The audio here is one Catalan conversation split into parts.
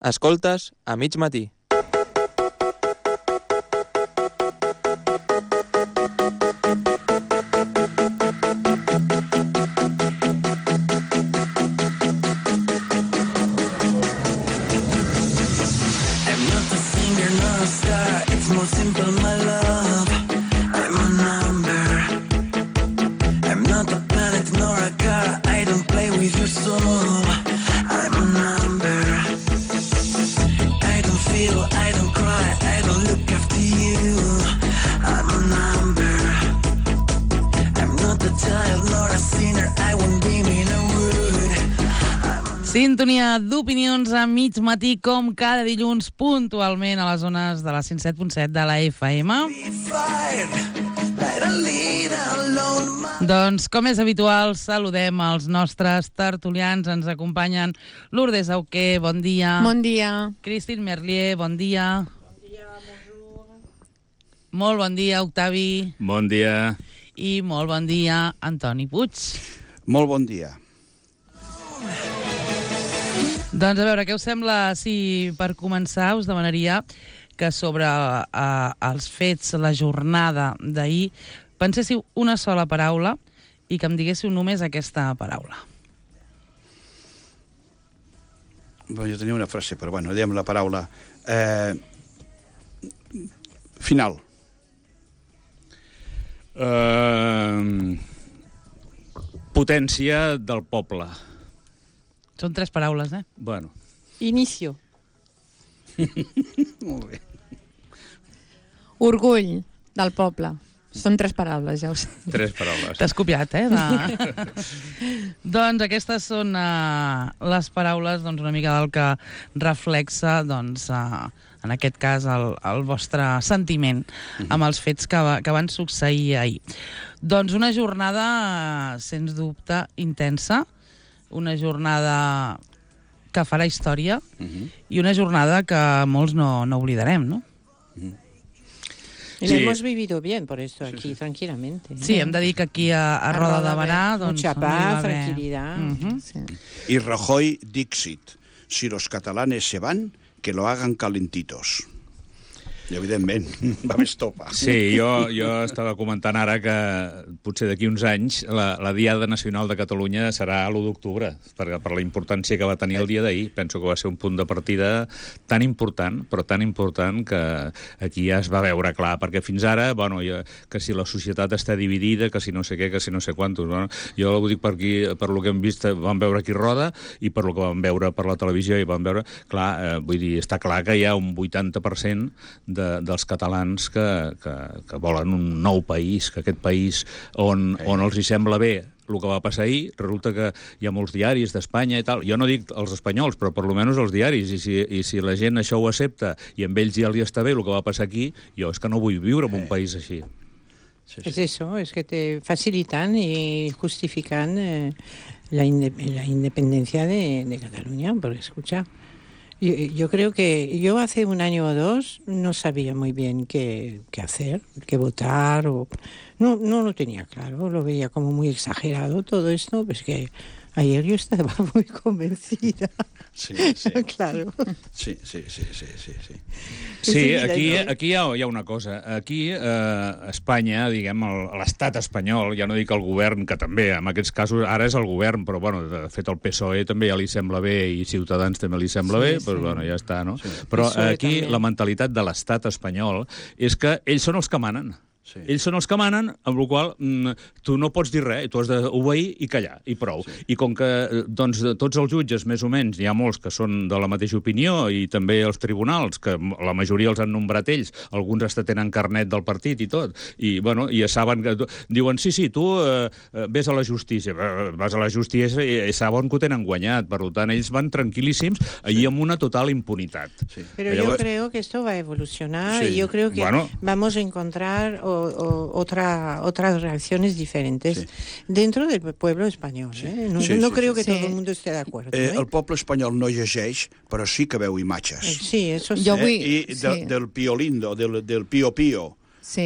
Escoltes a mig matí. Sintonia d'opinions a mig matí, com cada dilluns, puntualment a les zones de la 107.7 de la FM. Doncs, com és habitual, saludem els nostres tertulians. Ens acompanyen Lourdes Auqué, bon dia. Bon dia. Christine Merlier, bon dia. Bon dia, bonjour. Molt bon dia, Octavi. Bon dia. I molt bon dia, Antoni Puig. Molt bon dia. Doncs a veure, què us sembla si per començar us demanaria que sobre els fets, la jornada d'ahir, penséssiu una sola paraula i que em diguéssiu només aquesta paraula. Bueno, jo tenia una frase, però bueno, diem la paraula. Final. Potència del poble. Són 3 paraules, eh? Bueno. Inicio. Molt bé. Orgull del poble. Són 3 paraules, ja ho sé. 3 paraules. T'has copiat, eh? Doncs aquestes són les paraules una mica del que reflexa, en aquest cas, el vostre sentiment amb els fets que van succeir ahir. Doncs una jornada, sens dubte, intensa, una jornada que farà història i una jornada que molts no oblidarem, ¿no? Y lo hemos vivido bien, por esto aquí, tranquilamente. Sí, hem de dir que aquí a Roda de Barà... Mucha paz, tranquilidad. Sí. Y Rajoy Dixit. Si los catalanes se van, que lo hagan calentitos. I, evidentment, va més topa. Sí, jo estava comentant ara que potser d'aquí uns anys la Diada Nacional de Catalunya serà l'1 d'octubre, per la importància que va tenir el dia d'ahir. Penso que va ser un punt de partida tan important, però tan important que aquí ja es va veure clar, perquè fins ara, que si la societat està dividida, que si no sé què, que si no sé quantos... Jo ho dic per aquí, per lo que hem vist, vam veure aquí Roda, i per lo que vam veure per la televisió, i vam veure... Clar, vull dir, està clar que hi ha un 80% dels catalans que volen un nou país, que aquest país on els hi sembla bé el que va passar ahir. Resulta que hi ha molts diaris d'Espanya i tal. Jo no dic els espanyols, però per lo menos els diaris. I si la gent això ho accepta i amb ells ja li està bé el que va passar aquí, jo és que no vull viure en un país així. Sí. Es eso, es que te facilitan y justifican la independencia de Cataluña, porque escucha... Yo creo que yo hace un año o 2 no sabía muy bien qué hacer, qué votar. No lo tenía claro, lo veía como muy exagerado todo esto, pues que ayer yo estaba muy convencida. Sí. Claro. Sí. Sí, aquí hi ha una cosa. Aquí, a Espanya, diguem, l'estat espanyol, ja no dic el govern, que també, en aquests casos, ara és el govern, però, de fet, el PSOE també ja li sembla bé i Ciutadans també li sembla bé, però, ja està, no? Sí. Però aquí la mentalitat de l'estat espanyol és que ells són els que manen. Sí. Ells són els que manen, amb la qual tu no pots dir res, tu has d'obeir i callar, i prou. Sí. I com que tots els jutges, més o menys, hi ha molts que són de la mateixa opinió, i també els tribunals, que la majoria els han nombrat ells, alguns hasta tenen carnet del partit i tot, i ja saben que... Diuen, sí, tu ves a la justícia, vas a la justícia i saben que ho tenen guanyat, per tant, ells van tranquil·líssims allí amb una total impunitat. Sí. Pero yo creo que esto va a evolucionar y yo creo que vamos a encontrar otras reacciones diferentes dentro del pueblo español. No creo que todo el mundo esté de acuerdo. El poble espanyol no llegeix, però sí que veu imatges. Sí, eso sí. I del Pío Lindo, del Pío Pío,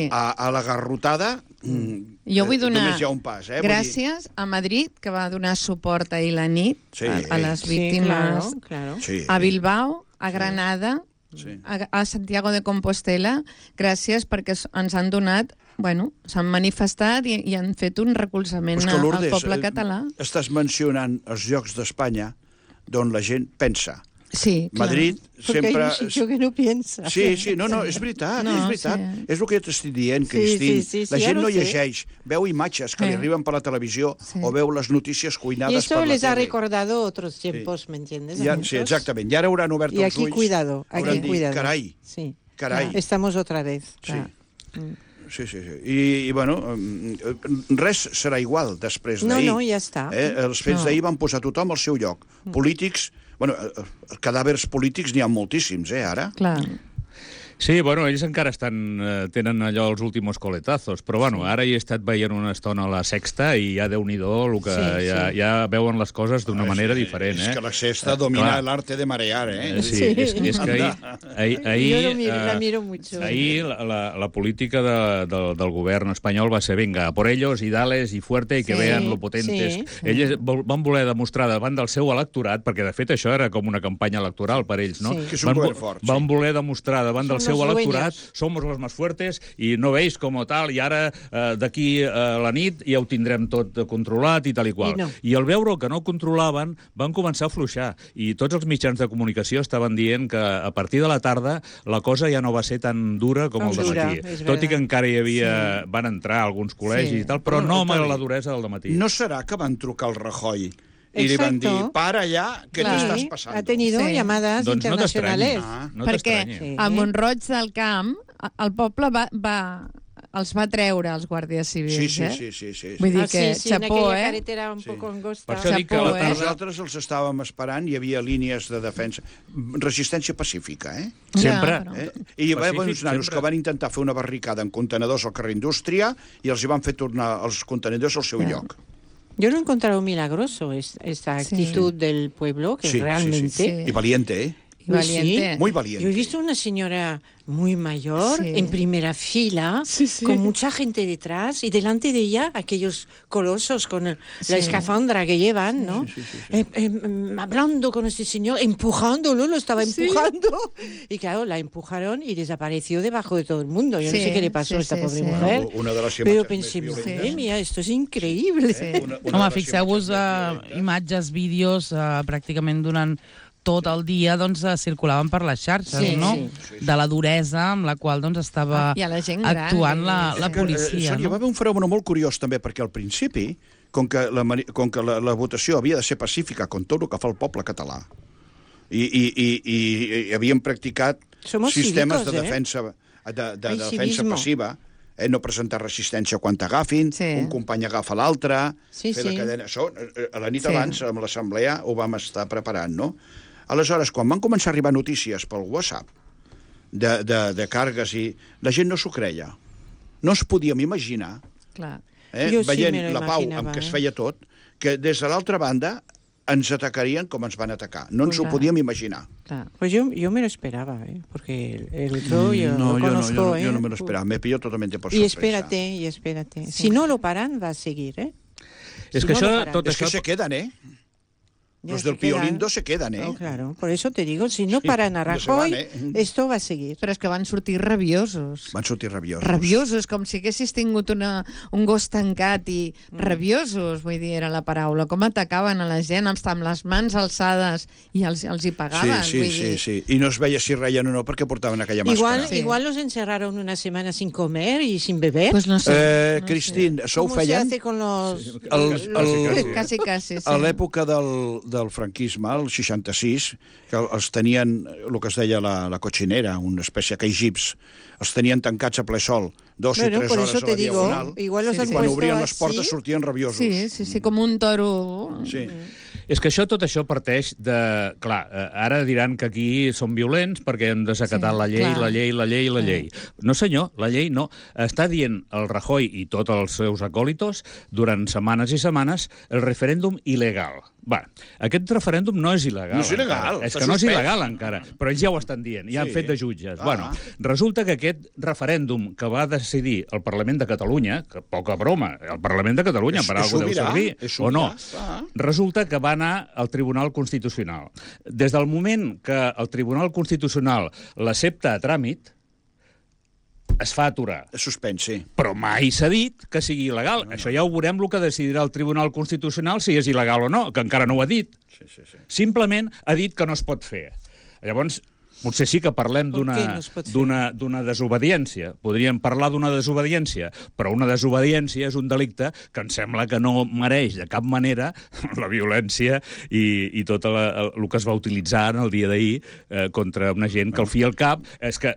a la garrotada, jo vull donar només hi ha un pas. Gràcies a Madrid, que va donar suport ahir la nit a les víctimes. Claro. A Bilbao, a Granada, Sí. a Santiago de Compostela, gràcies perquè ens han donat, s'han manifestat i han fet un recolzament Però és que, al Lourdes, poble català. Estàs mencionant els llocs d'Espanya d'on la gent pensa. Sí, clar. Madrid Porque sempre... hay un sitio que no piensa. Sí, no, és veritat, No, és veritat. sí. És el que jo t'estic dient, Sí, Cristín. sí, La ja gent lo no sé. llegeix, veu imatges que li arriben per la televisió o veu les notícies Y cuinades esto per la les ha tele. recordado otros tiempos, ¿me entiendes? A Ja, muchos. sí, exactament. I ara hauran obert Y els aquí ulls. cuidado, hauran aquí dit, cuidado. Carai, Sí. carai. Estamos otra vez. Sí. Claro. Sí. I bueno, res serà igual després No, d'ahir. no, ja està. Els fets d'ahir van posar tothom al seu lloc. Polítics, cadàvers polítics n'hi ha moltíssims, ara. Clar. Sí, bueno, ells encara tenen allò els últimos coletazos, però bueno, ara hi he estat veient una estona a la Sexta i ja Déu-n'hi-do, ja veuen les coses d'una manera diferent, És que la Sexta domina l'arte de marear, Sí, és que ahir... Yo la miro mucho. Ahir la política del govern espanyol va ser vinga, a por ellos, i dales, i fuerte, i que vean lo potentes. sí. Ells van voler demostrar davant del seu electorat, perquè de fet això era com una campanya electoral per ells, no? Sí. Que és un govern fort, sí. Van voler demostrar davant del seu los electorat, dueños. somos los más fuertes, i no veis com tal, i ara d'aquí a la nit ja ho tindrem tot controlat i tal i qual. I no. I al veure que no ho controlaven, van començar a fluixar. I tots els mitjans de comunicació estaven dient que a partir de la tarda la cosa ja no va ser tan dura com el dematí. És Tot i que verdad. encara hi havia... Van entrar alguns col·legis i tal, però no amb la duresa del dematí. No serà que van trucar al Rajoy i li van dir, Exacto. para allà, que Clar. t'estàs Sí, passant. ha tenido Sí. llamadas Doncs no t'estranyi. internacionales. No Perquè t'estranyi. Sí. a Montroig del Camp el poble els va treure els guàrdies civils, Sí. Vull dir Ah, que sí, en xapó, aquella carretera un poco angosta. Per això dic que a la Xapó, tarda... Nosaltres els estàvem esperant, hi havia línies de defensa, resistència pacífica, Sempre. però- I Pacífic, uns nanos sempre. que van intentar fer una barricada en contenedors al carrer Indústria i els hi van fer tornar els contenedors al seu lloc. Yo lo he encontrado milagroso, esta actitud del pueblo, que Sí, realmente... sí. I valiente, I valiente. Muy valiente. Yo he visto una señora muy mayor, Sí. en primera fila, Sí, sí. con mucha gente detrás, y delante de ella aquellos colosos con la Sí. escafandra que llevan, ¿no? Hablando con este señor, empujándolo, lo estaba empujando. Y claro, la empujaron y desapareció debajo de todo el mundo. Yo Sí, no sé qué le pasó a esta sí, pobre sí. mujer. Una de les Pero imatges pensé, més madre violentes. mía, esto es increíble. Home, fixeu-vos imatges, vídeos, pràcticament durant tot el dia doncs, circulaven per les xarxes, Sí, no? sí. De la duresa amb la qual doncs, estava I a la gent gran, actuant la és que, policia. Hi va haver un fenomen molt curiós també, perquè al principi, com que la votació havia de ser pacífica com tot el que fa el poble català, i havien practicat Somos sistemes cívicos, de defensa, de Hay defensa civismo. passiva, no presentar resistència quan t'agafin, Sí. un company agafa l'altre, Sí, fer la sí. cadena... Això, a la nit Sí. abans, amb l'assemblea, ho vam estar preparant, no? Aleshores, quan van començar a arribar notícies pel WhatsApp de càrregues, i la gent no s'ho creia. No ens podíem imaginar, Clar. Jo sí veient me lo la pau imaginava, amb què es feia tot, que des de l'altra banda ens atacarien com ens van atacar. No ens ho Clar. podíem imaginar. Clar. Pues yo me lo esperaba, porque el otro yo lo conozco. yo no me lo esperaba. Me pilló totalmente por Y sorpresa. espérate. Si no lo paran, va a seguir, ¿eh? És Si que no això, lo paran. tot Es que això... se quedan, Ya Los se del Pío quedan. Lindo se quedan, Oh, claro, por eso te digo, si no paran a ya se van, Rajoy, esto va a seguir. Però és que van sortir rabiosos. Van sortir rabiosos. Rabiosos, com si haguessis tingut un gos tancat i rabiosos, vull dir, era la paraula. Com atacaven a la gent amb les mans alçades i els hi pagaven. vull dir. Sí. I no es veia si reien o no perquè portaven aquella màscara. Sí. Igual los encerraron una semana sin comer y sin beber. Pues no sé. Cristín, això ho ¿Cómo se feien hace con los... Quasi, sí. a l'època del franquisme, el 66, que els tenien, el que es deia la cochinera, una espècie que gips, els tenien tancats a ple sol, 2 Bueno, i 3 por hores eso a la te digo, diagonal, igual los i han quan puesto obrien les así. portes sortien rabiosos. Sí, com un toro. Sí. És que tot això parteix de... Clar, ara diran que aquí són violents perquè hem desacatat Sí, la llei, clar. la llei. No, senyor, la llei no. Està dient el Rajoy i tots els seus acòlitos durant setmanes i setmanes el referèndum il·legal. aquest referèndum no és il·legal. No és il·legal. És que no és il·legal encara, però ells ja ho estan dient, ja han fet de jutges. Resulta que aquest referèndum que va decidir el Parlament de Catalunya, que poca broma, el Parlament de Catalunya, per alguna cosa deu servir, o no, resulta que va anar al Tribunal Constitucional. Des del moment que el Tribunal Constitucional l'accepta a tràmit, es fa aturar. És suspens, sí. Però mai s'ha dit que sigui il·legal. Això ja ho veurem el que decidirà el Tribunal Constitucional si és il·legal o no, que encara no ho ha dit. Simplement ha dit que no es pot fer. Llavors, potser sí que parlem d'una desobediència. Podríem parlar d'una desobediència, però una desobediència és un delicte que em sembla que no mereix de cap manera la violència i tot el que es va utilitzar en el dia d'ahir contra una gent que al fi i al cap... És que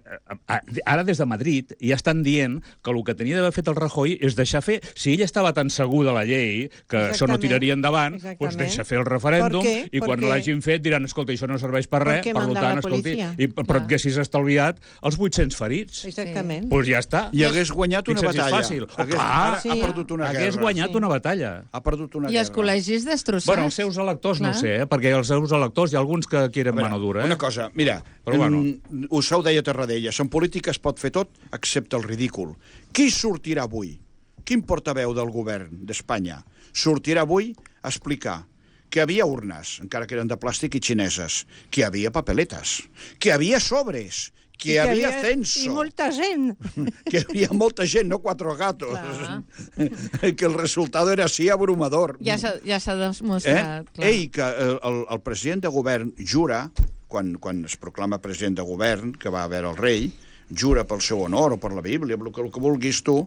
ara des de Madrid ja estan dient que el que tenia d'haver fet el Rajoy és deixar fer... Si ell estava tan segur de la llei que això no tiraria endavant, doncs deixa fer el referèndum i quan l'hagin fet diran, escolta, això no serveix per res, per tant, escolti... Però et haguessis estalviat els 800 ferits. Exactament. Doncs ja està. I hagués guanyat una batalla. Fàcil. Ha perdut una guerra. Hagués guanyat una batalla. Ha perdut una guerra. I els col·legis destrossats. Bueno, els seus electors no sé, perquè els seus electors hi ha alguns que quieren mano dura. Una cosa, mira, us ho deia Tarradellas, en política es pot fer tot excepte el ridícul. Qui sortirà avui? Quin portaveu del govern d'Espanya sortirà avui a explicar que hi havia urnes, encara que eren de plàstic i xineses, que hi havia papeletes, que hi havia sobres, que hi havia censo. I molta gent. Que hi havia molta gent, no quatre gatos. Que el resultado era así abrumador. Ja s'ha demostrat. Ell, que el president de govern jura, quan es proclama president de govern, que va a veure el rei, jura pel seu honor o per la Bíblia, el que vulguis tu,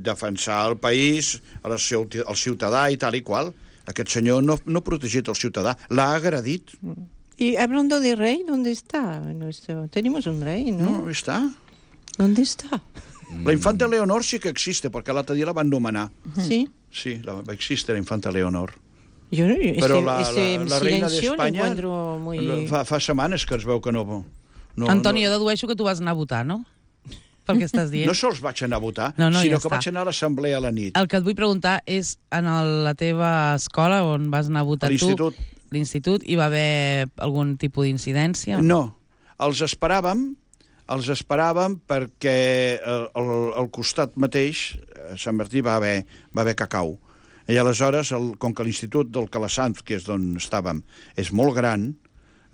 defensar el país, el ciutadà i tal i qual. Aquest senyor no ha protegit el ciutadà, l'ha agredit. Y hablando de rey, ¿dónde está? Tenemos un rey, ¿no? No, está. ¿Dónde está? La infanta Leonor sí que existe, perquè l'altre dia la van nomenar. Sí. Sí, existe la infanta Leonor. Yo Però la reina d'Espanya muy... fa setmanes que es veu que no... Antoni, jo dedueixo que tu vas anar a votar, no? Pel que estàs dient. No sols vaig anar a votar, sinó ja que vaig anar a l'assemblea a la nit. El que et vull preguntar és, en la teva escola, on vas anar a votar tu, l'institut, hi va haver algun tipus d'incidència? No, els esperàvem perquè al costat mateix, a Sant Martí, va haver cacau. I aleshores, com que l'institut del Calasanz, que és d'on estàvem, és molt gran,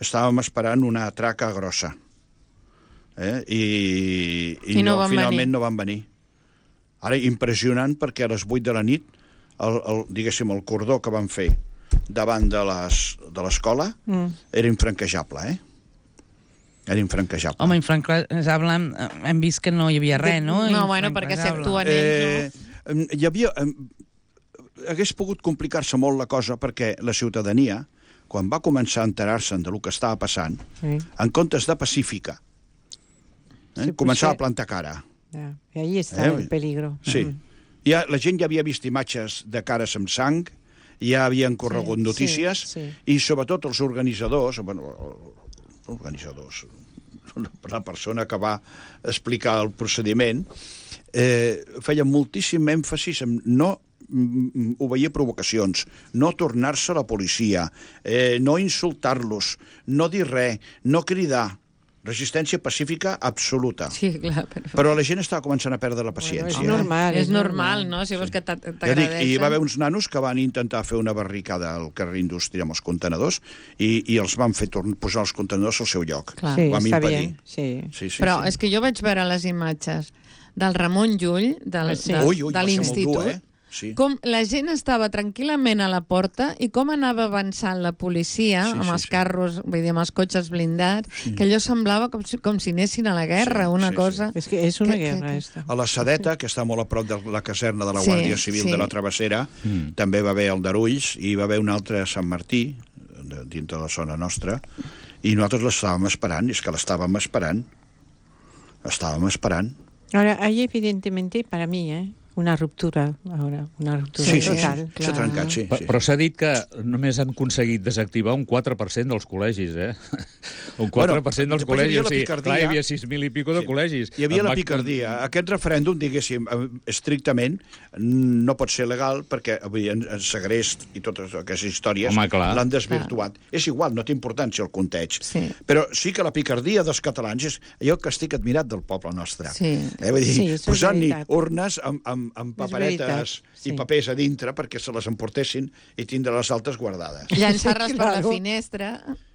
estàvem esperant una traca grossa. I finalment no van venir. Ara, impressionant, perquè a les 8 de la nit, diguéssim, el cordó que van fer davant de l'escola era infranquejable, Era infranquejable. Home, infranquejable, hem vist que no hi havia res, no? No, bueno, perquè s'actuen ells, no? Hi havia... Hagués pogut complicar-se molt la cosa perquè la ciutadania, quan va començar a enterar-se'n del que estava passant, en comptes de pacífica, començava a plantar cara. I ahí està el peligro. Sí. La gent ja havia vist imatges de cares amb sang, ja havien corregut notícies, i sobretot els organitzadors, la persona que va explicar el procediment, feia moltíssim èmfasis en no obeir provocacions, no tornar-se a la policia, no insultar-los, no dir res, no cridar. Resistència pacífica absoluta. Sí, clar. Però la gent estava començant a perdre la paciència. És normal, no? Si vols que t'agradeixen. I va haver uns nanos que van intentar fer una barricada al carrer Indústria amb els contenedors i els van fer posar els contenedors al seu lloc. Sí, està bé. Però és que jo vaig veure les imatges del Ramon Llull, de l'institut, com la gent estava tranquil·lament a la porta i com anava avançant la policia amb els carros, vull dir, amb els cotxes blindats, que allò semblava com si anessin a la guerra, una cosa... És que és una guerra, esta. A la Sedeta, que està molt a prop de la caserna de la Guàrdia Civil de la Travessera, també va haver el d'Arulls i va haver un altre a Sant Martí, dintre de la zona nostra, i nosaltres l'estàvem esperant, és que l'estàvem esperant. Estàvem esperant. Ahora, ahí evidentemente, para mí, una ruptura, ara, una ruptura total. Sí, s'ha trencat, sí. Però s'ha dit que només han aconseguit desactivar un 4% dels col·legis, Un 4% dels col·legis, o sigui, clar, hi havia 6.000 i pico de col·legis. Hi havia la picardia. Aquest referèndum, diguéssim, estrictament, no pot ser legal perquè avui en segrest i totes aquestes històries l'han desvirtuat. És igual, no té importància el conteig. Però sí que la picardia dels catalans és allò que estic admirat del poble nostre. Vull dir, posant-hi urnes amb paperetes i papers a dintre perquè se les emportessin i tindre les altres guardades. Llançar-les per la finestra.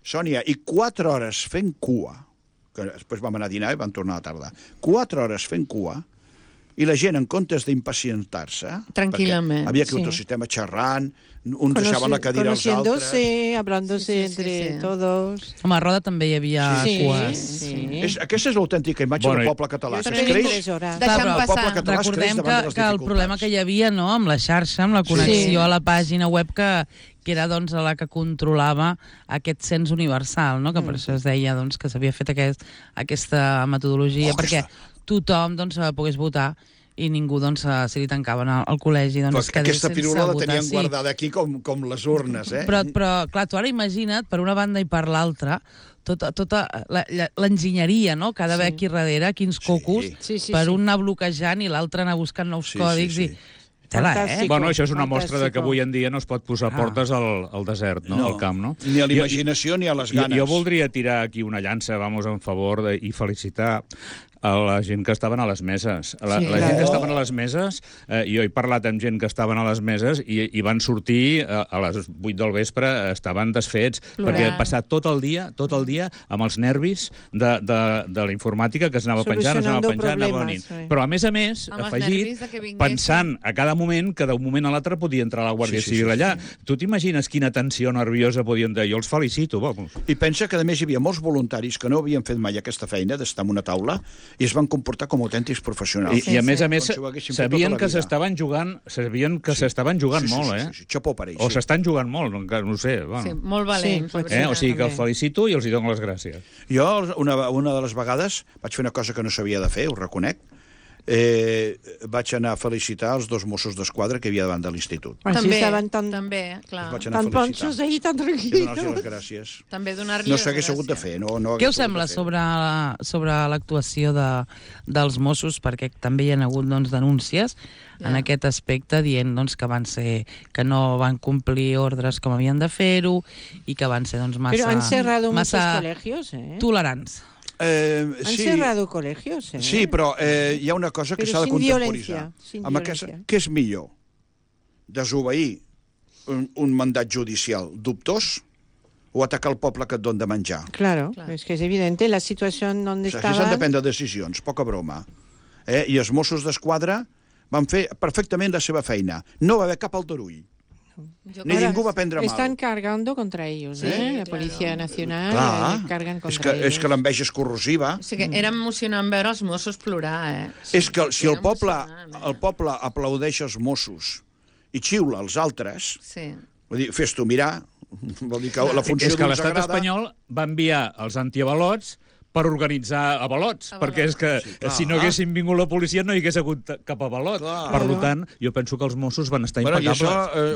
Sònia, i 4 hores fent cua, que després vam anar a dinar i vam tornar a la tarda, 4 hores fent cua, i la gent, en comptes d'impacientar-se... Tranquil·lament. Havia aquí un sistema xerrant, uns deixaven la cadira als altres... Hablándose entre todos... Home, a Roda també hi havia cues. Aquesta és l'autèntica imatge del poble català. Recordem que el problema que hi havia amb la xarxa, amb la connexió a la pàgina web, que era la que controlava aquest cens universal, que per això es deia que s'havia fet aquesta metodologia, perquè tothom pogués votar i ningú, si li tancaven al col·legi, aquesta pirula la tenien guardada aquí com les urnes, Però, clar, tu ara imagina't, per una banda i per l'altra, tota l'enginyeria, que ha d'haver aquí darrere, quins cocos, per un anar bloquejant i l'altre anar buscant nous còdics i... Bueno, això és una mostra de que avui en dia no es pot posar portes al desert, al camp, no? Ni a la imaginació ni a les ganes. Jo voldria tirar aquí una llança, en favor i felicitar a la gent que estaven a les meses. La gent que estaven a les meses, jo he parlat amb gent que estaven a les meses i van sortir a les 8 del vespre, estaven desfets, perquè han passat tot el dia amb els nervis de la informàtica que es anava penjant, anava venint. Però, a més, afegit, pensant a cada moment que d'un moment a l'altre podia entrar la Guàrdia Civil allà. Tu t'imagines quina tensió nerviosa podien tenir? Jo els felicito. I pensa que, a més, hi havia molts voluntaris que no havien fet mai aquesta feina d'estar en una taula i es van comportar com autèntics professionals. I a més, sabien que s'estaven jugant molt, Xapó per ells. O s'estan jugant molt, encara no ho sé. Molt valents. O sigui que els felicito i els dono les gràcies. Jo, una de les vegades, vaig fer una cosa que no s'havia de fer, ho reconec, vaig anar a felicitar els 2 Mossos d'Esquadra que hi havia davant de l'institut. També, clar. Tan ponxos ahí, tan tranquils. I donar-los les gràcies. També donar-li les gràcies. No s'hagués hagut de fer. Què us sembla sobre l'actuació dels Mossos? Perquè també hi ha hagut denúncies en aquest aspecte dient que no van complir ordres com havien de fer-ho i que van ser massa tolerants. Han cerrado colegios, Sí, però hi ha una cosa que s'ha de contemporitzar. Què és millor? Desobeir un mandat judicial dubtós o atacar el poble que et dona de menjar? Claro, es que es evidente la situación donde estaban... Aquí s'han de prendre decisions, poca broma. I els Mossos d'Esquadra van fer perfectament la seva feina. No va haver cap aldarull. Ni ningú va prendre mal. Están cargando contra ellos, la Policía Nacional cargan contra ellos. És que l'enveja és corrosiva. O sigui, era emocionant veure els Mossos plorar, És que si el poble aplaudeix els Mossos i xiula els altres, vull dir, fes-t'ho mirar, vol dir que la funció d'uns agrada... És que l'estat espanyol va enviar els antiavalots per organitzar avalots, perquè és que si no haguessin vingut la policia no hi hagués hagut cap avalot. Per tant, jo penso que els Mossos van estar impecables.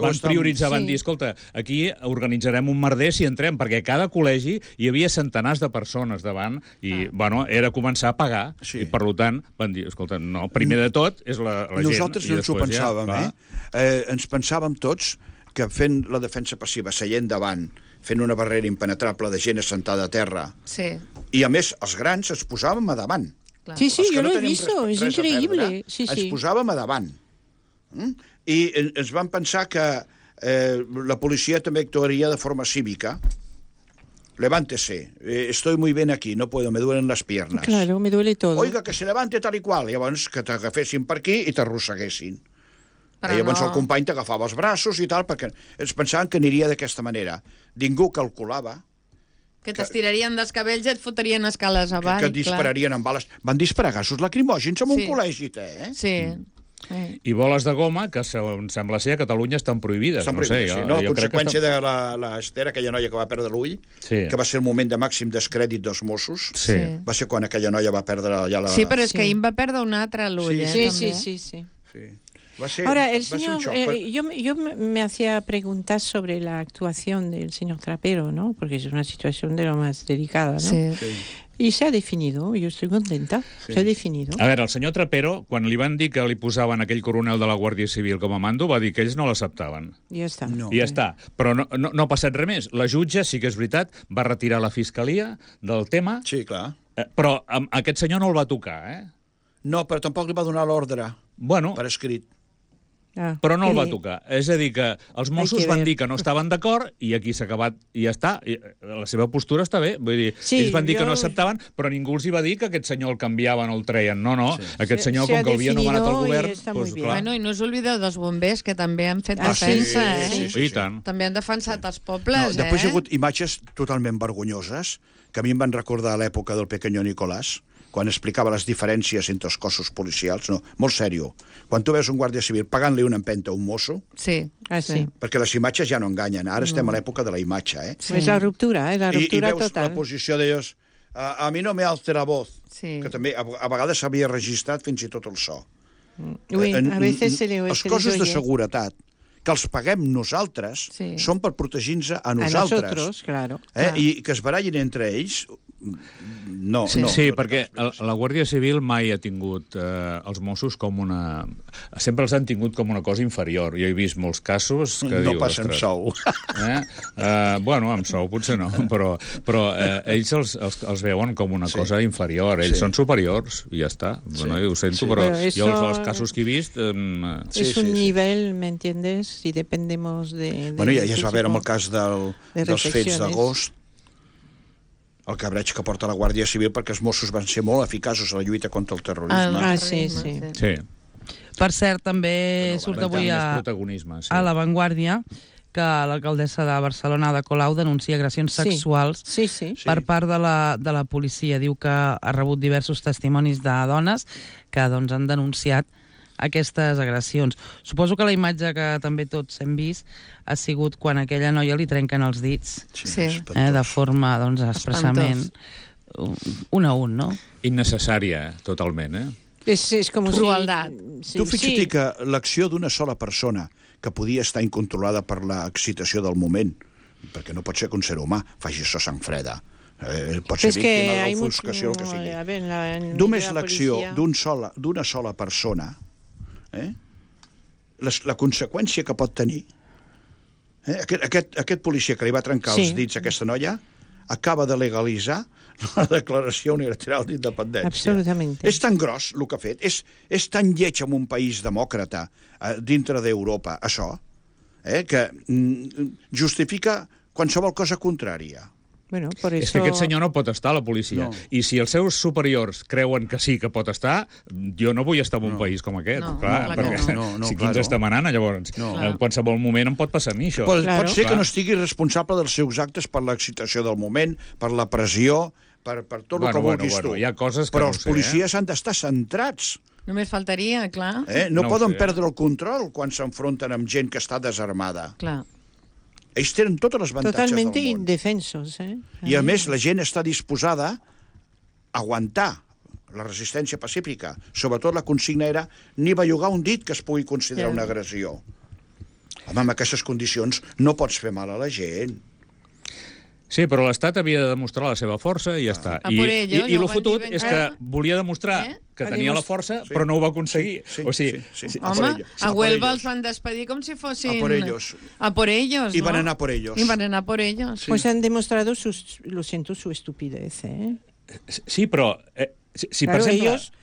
Van prioritzar, van dir, escolta, aquí organitzarem un merder si entrem, perquè a cada col·legi hi havia centenars de persones davant i, era començar a pagar. I, per tant, van dir, escolta, no, primer de tot és la gent. Nosaltres no ens ho pensàvem, ens pensàvem tots que fent la defensa passiva, seient davant, fent una barrera impenetrable de gent assentada a terra. I, a més, els grans ens posàvem a davant. Sí, jo l'he vist, és increïble. Ens posàvem a davant. I ens vam pensar que la policia també actuaria de forma cívica. Levántese, estoy muy bien aquí, no puedo, me duelen las piernas. Claro, me duele todo. Oiga, que se levante tal i qual. Llavors, que t'agafessin per aquí i t'arrosseguessin. Llavors el company t'agafava els braços i tal, perquè ens pensaven que aniria d'aquesta manera. Ningú calculava... Que t'estirarien dels cabells i et fotrien escales avall. Que et dispararien amb bales. Van disparar gasos lacrimògens en un col·legi, Sí. I boles de goma, que sembla ser a Catalunya estan prohibides. Estan prohibides, sí. No, a conseqüència de l'Ester, aquella noia que va perdre l'ull, que va ser el moment de màxim descrèdit dels Mossos, va ser quan aquella noia va perdre ja la... Sí, però és que ahir va perdre un altre l'ull, Sí. Ahora, el señor, yo me hacía preguntas sobre la actuación del señor Trapero, ¿no? Porque es una situación de lo más delicada, ¿no? Sí. Y se ha definido, yo estoy contenta, se ha definido. A veure, el senyor Trapero, quan li van dir que li posaven aquell coronel de la Guàrdia Civil com a mando, va dir que ells no l'acceptaven. Ja està. No. I ja està. Però no ha passat res més. La jutge, sí que és veritat, va retirar la fiscalia del tema. Sí, clar. Però aquest senyor no el va tocar, eh? No, però tampoc li va donar l'ordre per escrit. Però no el va tocar. És a dir, que els Mossos van dir que no estaven d'acord i aquí s'ha acabat i ja està. I la seva postura està bé. Vull dir, ells van dir que no acceptaven, però ningú els hi va dir que aquest senyor el canviaven o el treien. No. Aquest senyor, com que havia nomenat el govern... Bueno, i no us oblideu dels bombers, que també han fet defensa, Sí, i tant. També han defensat els pobles, Després hi ha hagut imatges totalment vergonyoses que a mi em van recordar l'època del Pequeño Nicolás, quan explicava les diferències entre els cossos policials, molt sèrio. Quan tu veus un guàrdia civil pagant-li una empenta a un mosso... Sí. Perquè les imatges ja no enganyen. Ara estem a l'època de la imatge, És la ruptura, la ruptura total. I veus la posició d'ells... A mi no me alce la voz, que també a vegades s'havia registrat fins i tot el so. A veces se le oye. Els cossos de seguretat, que els paguem nosaltres, són per protegir-nos a nosaltres. A nosotros, claro. I que es barallin entre ells... No. Sí, perquè la Guàrdia Civil mai ha tingut els Mossos com una... Sempre els han tingut com una cosa inferior. Jo he vist molts casos que no passa amb sou. Bueno, amb sou potser no, però ells els veuen com una cosa inferior. Ells són superiors i ja està. Bueno, ho sento, però jo els casos que he vist... És un nivell, ¿me entiendes? Si dependemos de... Bueno, ja es va veure amb el cas dels fets d'agost, el cabreig que porta la Guàrdia Civil, perquè els Mossos van ser molt eficaços a la lluita contra el terrorisme. Sí. Per cert, també surt avui a La Vanguardia que l'alcaldessa de Barcelona, Ada Colau, denuncia agressions sexuals per part de la policia. Diu que ha rebut diversos testimonis de dones que han denunciat aquestes agressions. Suposo que la imatge que també tots hem vist ha sigut quan a aquella noia li trenquen els dits de forma, expressament un a un, no? Innecessària, totalment, És com crueldat. Tu fixa't que l'acció d'una sola persona que podia estar incontrolada per l'excitació del moment, perquè no pot ser que un ser humà faci això sang freda, pot ser víctima de l'ofuscació, el que sigui. Només l'acció d'una sola persona, la conseqüència que pot tenir, aquest policia que li va trencar els dits a aquesta noia acaba de legalitzar la Declaració Unilateral d'Independència. Absolutament. És tan gros el que ha fet, és tan lleig en un país demòcrata dintre d'Europa, això, que justifica qualsevol cosa contrària. Bueno, por eso... És que aquest senyor no pot estar a la policia. I si els seus superiors creuen que sí que pot estar, jo no vull estar en un país com aquest. Perquè si qui ens està manant, llavors, en qualsevol moment em pot passar a mi, això. Pot ser que no estigui responsable dels seus actes per l'excitació del moment, per la pressió, per tot el que vulguis tu. Hi ha coses que però els policies han d'estar centrats. Només faltaria, clar. No poden perdre el control quan s'enfronten amb gent que està desarmada. Clar. Ells tenen totes les avantatges del món. Totalment indefensos. I a més la gent està disposada a aguantar la resistència pacífica. Sobretot la consigna era ni bellugar un dit que es pugui considerar una agressió. Home, amb aquestes condicions no pots fer mal a la gent. Sí, però l'Estat havia de demostrar la seva força i ja està. I el fotut és que volia demostrar que tenia la força, però no ho va aconseguir. Home, a Huelva els van despedir com si fossin... A por ellos. Y van a por ellos. Y van a por ellos. Pues han demostrado, lo siento, su estupidez, Sí, però... Si claro, ellos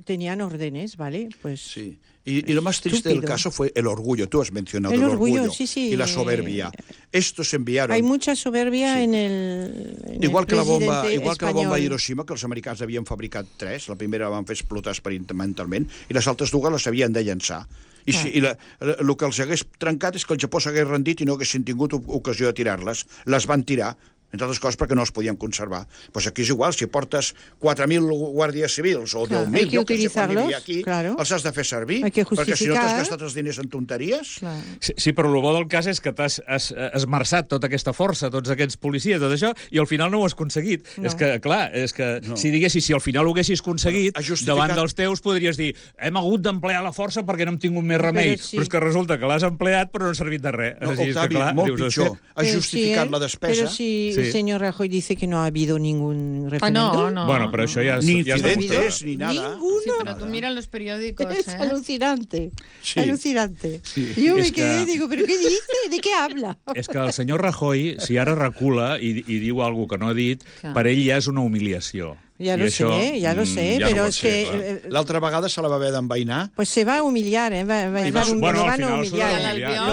tenían órdenes, ¿vale? Pues... Sí. Y lo más triste del caso fue el orgullo. Tú has mencionado el orgullo y la soberbia. Estos enviaron... Hay mucha soberbia en el igual que la bomba de Hiroshima, que els americans havien fabricat 3. La primera la van fer explotar experimentalment i les altres dues les havien de llançar. I el que els hagués trencat és que el Japó s'hagués rendit i no haguessin tingut ocasió de tirar-les. Les van tirar entre altres coses perquè no els podien conservar. Pues aquí és igual, si portes 4.000 guàrdies civils o 10.000, jo que sé quan vivia aquí, els has de fer servir, perquè si no t'has gastat els diners en tonteries. Sí, però el bo del cas és que t'has esmerçat tota aquesta força, tots aquests policies, tot això, i al final no ho has aconseguit. És que, clar, si al final ho haguessis aconseguit, davant dels teus podries dir hem hagut d'emplear la força perquè no hem tingut més remei, però és que resulta que l'has empleat però no ha servit de res. No, Octavi, molt pitjor. Has justificat la despesa. Però si el senyor Rajoy dice que no ha habido ningún referéndum. No. Bueno, pero eso ya ni incidentes, ni nada. Ninguno. Sí, pero tú miras los periódicos, Es alucinante. Sí. Alucinante. Sí. Yo me quedé, digo, ¿pero qué dice? ¿De qué habla? És que el senyor Rajoy, si ara recula i diu alguna que no ha dit, per ell ja és una humiliació. Ya lo sé, pero es que... L'altra vegada se la va haver d'envainar. Pues se va a humillar, ¿eh? Lo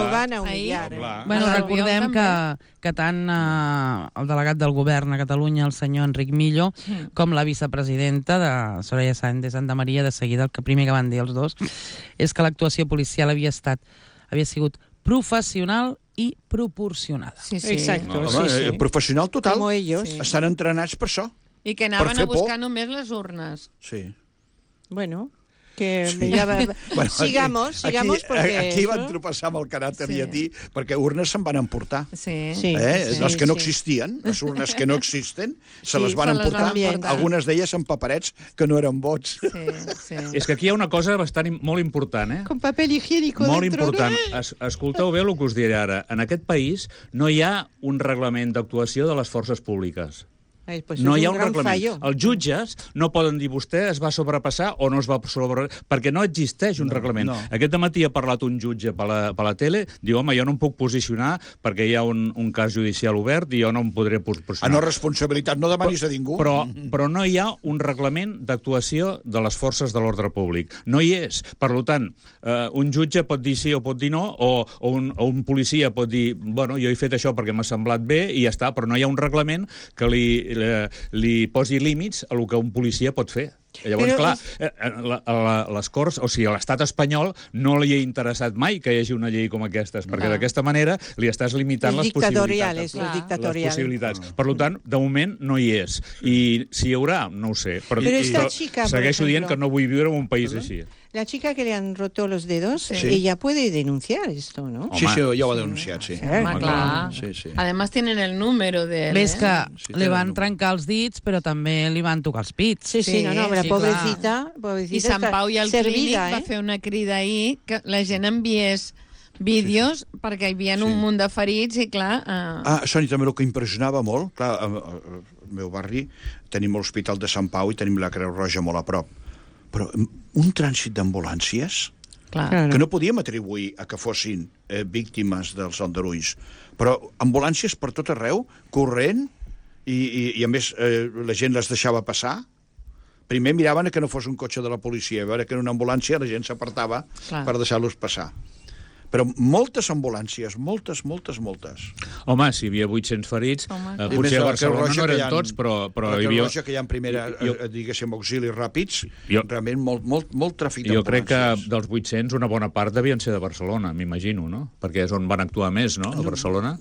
van a humillar. Bueno, recordem que tant el delegat del govern a Catalunya, el senyor Enric Millo, com la vicepresidenta de Soraya Sáenz de Santa Maria, de seguida el primer que van dir els dos, és que l'actuació policial havia sigut professional i proporcionada. Sí. Exacto. Professional total. Como ellos. Estan entrenats per això. I que anaven a buscar només les urnes. Sí. Bueno, que ja sigamos, porque... Aquí van tropeçar amb el caràcter llatí, perquè urnes se'n van emportar. Sí. Les que no existien, les urnes que no existen, se les van emportar, algunes d'elles amb paperets que no eren vots. Sí. És que aquí hi ha una cosa molt important, eh? Con papel higiénico molt dentro. Molt important. Escolteu bé el que us diré ara. En aquest país no hi ha un reglament d'actuació de les forces públiques. Pues no hi ha un reglament. Els jutges no poden dir vostè es va sobrepassar o no es va sobrepassar, perquè no existeix un reglament. No. Aquest matí ha parlat un jutge per la tele, diu, home, jo no em puc posicionar perquè hi ha un cas judicial obert i jo no em podré posicionar. No, responsabilitat no demanis a ningú. Però no hi ha un reglament d'actuació de les forces de l'ordre públic. No hi és. Per tant, un jutge pot dir sí o pot dir no, o un policia pot dir, bueno, jo he fet això perquè m'ha semblat bé i ja està, però no hi ha un reglament que li posi límits a el que un policia pot fer. Llavors, clar, les Corts, o sigui, a l'estat espanyol no li ha interessat mai que hi hagi una llei com aquestes, perquè d'aquesta manera li estàs limitant les possibilitats. Les possibilitats. Per tant, de moment no hi és. I si hi haurà, no ho sé. Però segueixo dient que no vull viure en un país així. La chica que le han roto los dedos, ella puede denunciar esto, ¿no? Sí, ya lo ha denunciado, sí. Claro. Sí. Además tienen el número de él. Ves que li van trencar els dits, però també li van tocar els pits. Sí, no, la pobrecita I Sant Pau i el Clínic va fer una crida ahir que la gent enviés vídeos perquè hi havia un munt de ferits i clar... Sònia, també el que impressionava molt, clar, al meu barri tenim l'Hospital de Sant Pau i tenim la Creu Roja molt a prop, però un trànsit d'ambulàncies que no podíem atribuir a que fossin víctimes dels aldarulls, però ambulàncies per tot arreu, corrent, i a més la gent les deixava passar. Primer miraven que no fos un cotxe de la policia, a veure que en una ambulància la gent s'apartava per deixar-los passar. Però moltes ambulàncies, moltes. Home, si hi havia 800 ferits, potser a Barcelona no eren tots, però hi havia... La Creu Roja que hi ha en primera, diguéssim, auxilis ràpids, realment molt tràfic d'ambulàncies. Jo crec que dels 800 una bona part devien ser de Barcelona, m'imagino, no? Perquè és on van actuar més, no?, a Barcelona.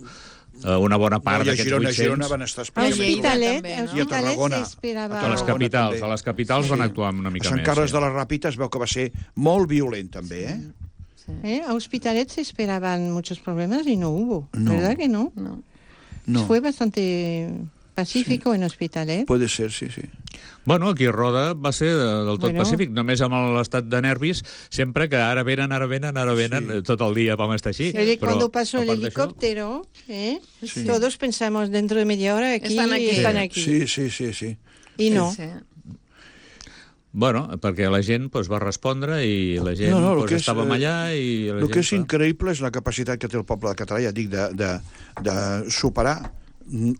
Una bona part d'aquests 800... I a Girona van estar Hospitalet i a Tarragona. A les capitals van actuar una mica més. A Sant Carles de la Ràpita es veu que va ser molt violent, també, A Hospitalet se esperaban muchos problemas y no hubo, ¿verdad que no? No. Fue bastante pacífico en Hospitalet. Puede ser, sí. Bueno, aquí a Roda va ser del tot pacífic, només amb l'estat de nervis, sempre que ara venen, tot el dia vam estar així. Cuando pasó el helicóptero, todos pensamos dentro de media hora están aquí. Sí. Y no. Bueno, perquè la gent va respondre i la gent estàvem allà i... El que és increïble és la capacitat que té el poble català, ja dic, de superar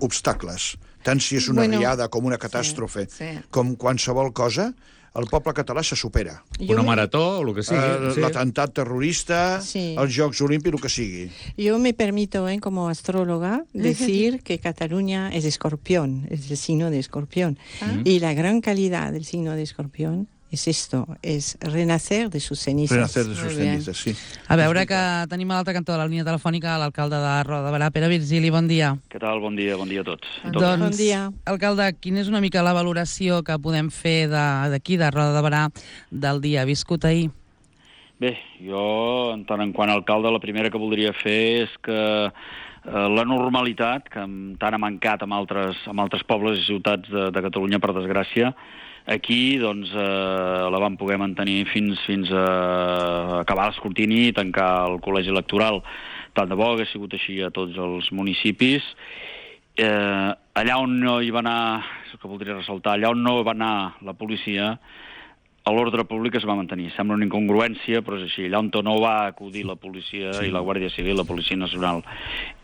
obstacles. Tant si és una riada com una catàstrofe, com qualsevol cosa, el poble català se supera. Una marató, o el que sigui. L'atemptat terrorista, els Jocs Olímpics, el que sigui. Yo me permito, como astróloga, decir que Cataluña es Escorpión, es el signo de Escorpión. Y la gran calidad del signo de Escorpión es esto, es renacer de sus cenizas. Renacer de sus cenizas, sí. A veure que tenim a l'altre cantó de la línia telefònica l'alcalde de Roda de Barà, Pere Virgili, bon dia. Què tal? Bon dia a tots. Doncs, bon dia. Alcalde, quina és una mica la valoració que podem fer d'aquí, de Roda de Barà, del dia viscut ahir? Bé, jo, en tant en quant a alcalde, la primera que voldria fer és que la normalitat, que tant ha mancat amb altres pobles i ciutats de Catalunya, per desgràcia, aquí doncs, la vam poder mantenir fins a acabar l'escrutini i tancar el col·legi electoral. Tant de bo hagués sigut així a tots els municipis. Allà on no hi va anar, és el que voldria ressaltar, allà on no va anar la policia, l'ordre públic es va mantenir. Sembla una incongruència, però és així. Allà on no va acudir la policia i la Guàrdia Civil, la Policia Nacional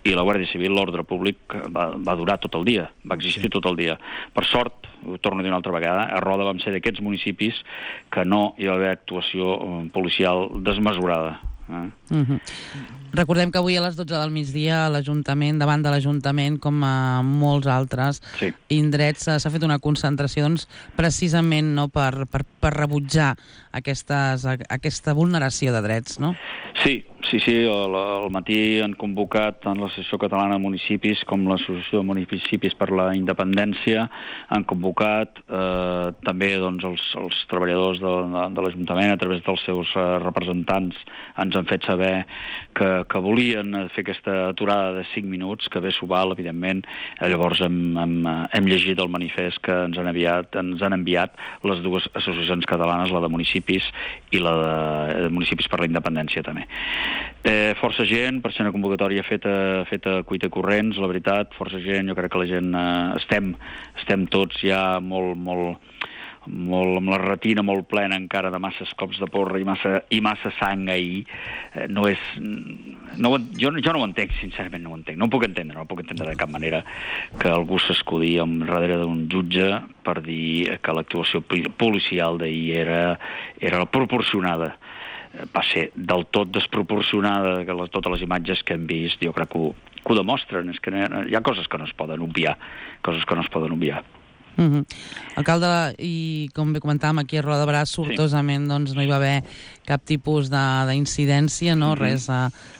i la Guàrdia Civil, l'ordre públic va durar tot el dia, va existir tot el dia. Per sort, ho torno a dir una altra vegada, a Roda vam ser d'aquests municipis que no hi va haver actuació policial desmesurada. Recordem que avui a les 12 del migdia a l'Ajuntament, davant de l'Ajuntament, com a molts altres indrets, s'ha fet una concentració doncs, precisament no, per rebutjar aquesta vulneració de drets, no? Sí. Al matí han convocat tant l'Associació Catalana de Municipis com l'Associació de Municipis per la Independència, han convocat també doncs, els treballadors de l'Ajuntament a través dels seus representants, ens han fet saber que volien fer aquesta aturada de 5 minuts, que bé s'ho val, evidentment. Llavors hem llegit el manifest que ens han enviat les dues associacions catalanes, la de municipis i la de municipis per la independència també. Força gent, per ser una convocatòria feta cuita corrents, la veritat, força gent, jo crec que la gent estem tots ja molt amb la retina molt plena encara de masses cops de porra i massa sang ahir. Jo no ho entenc, sincerament no ho entenc. No ho puc entendre de cap manera que algú s'escudi darrere d'un jutge per dir que l'actuació policial d'ahir era proporcionada. Va ser del tot desproporcionada, que totes les imatges que hem vist, jo crec que ho demostren. És que hi ha coses que no es poden obviar, Alcalde, i com bé comentàvem, aquí a Roda de Barà sortosament doncs, no hi va haver cap tipus d'incidència, no? Res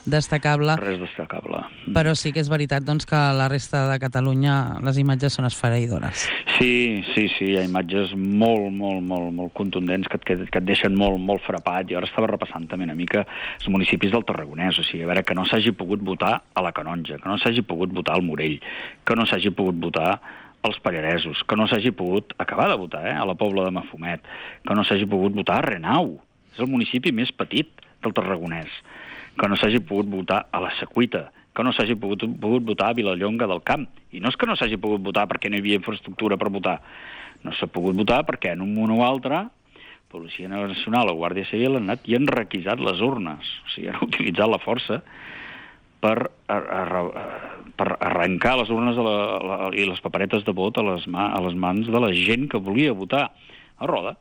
destacable. Res destacable. Però sí que és veritat doncs, que la resta de Catalunya les imatges són esfereïdores. Sí, hi ha imatges molt contundents que et deixen molt frapat. Jo ara estava repassant també una mica els municipis del Tarragonès, o sigui, a veure, que no s'hagi pogut votar a la Canonja, que no s'hagi pogut votar al Morell, que no s'hagi pogut votar als Pallaresos, que no s'hagi pogut acabar de votar a la Pobla de Mafumet, que no s'hagi pogut votar a Renau, és el municipi més petit del Tarragonès, que no s'hagi pogut votar a la Secuita, que no s'hagi pogut votar a Vilallonga del Camp. I no és que no s'hagi pogut votar perquè no hi havia infraestructura per votar, no s'ha pogut votar perquè en un moment o altre Policia Nacional o Guàrdia Civil han anat i han requisat les urnes, o sigui, han utilitzat la força per arrencar les urnes i les paperetes de vot a les mans de la gent que volia votar a Roda.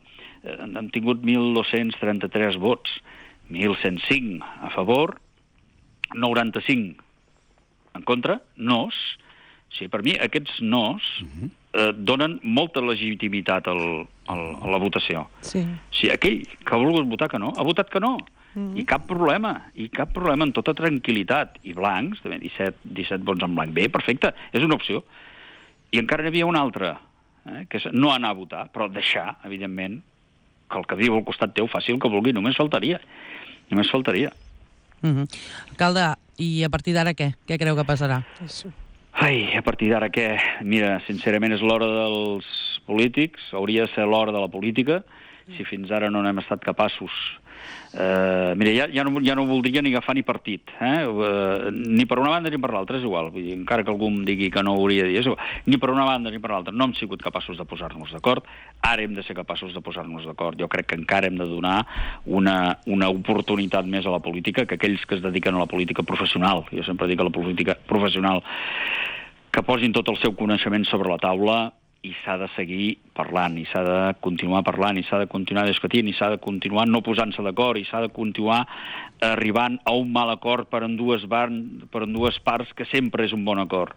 Han tingut 1.233 vots, 1.105 a favor, 95 en contra, nos. Sí, per mi aquests nos donen molta legitimitat a la votació. Sí. Si aquell que ha volgut votar que no, ha votat que no. I cap problema, en tota tranquil·litat. I blancs, també 17 vots en blanc. Bé, perfecte, és una opció. I encara n'hi havia una altra, que és no anar a votar, però deixar, evidentment, que el que viu al costat teu faci el que vulgui, només faltaria. Alcalde, i a partir d'ara què? Què creu que passarà? A partir d'ara què? Mira, sincerament és l'hora dels polítics, hauria de ser l'hora de la política, si fins ara no n'hem estat capaços. Mira, ja no voldria ni agafar ni partit, ni per una banda ni per l'altra, és igual. Vull dir, encara que algú em digui que no ho hauria de dir, és igual. Ni per una banda ni per l'altra. No hem sigut capaços de posar-nos d'acord. Ara hem de ser capaços de posar-nos d'acord. Jo crec que encara hem de donar una oportunitat més a la política, que aquells que es dediquen a la política professional, jo sempre dic a la política professional, que posin tot el seu coneixement sobre la taula i s'ha de seguir parlant, i s'ha de continuar parlant, i s'ha de continuar discutint, i s'ha de continuar no posant-se d'acord, i s'ha de continuar arribant a un mal acord per en dues parts, que sempre és un bon acord.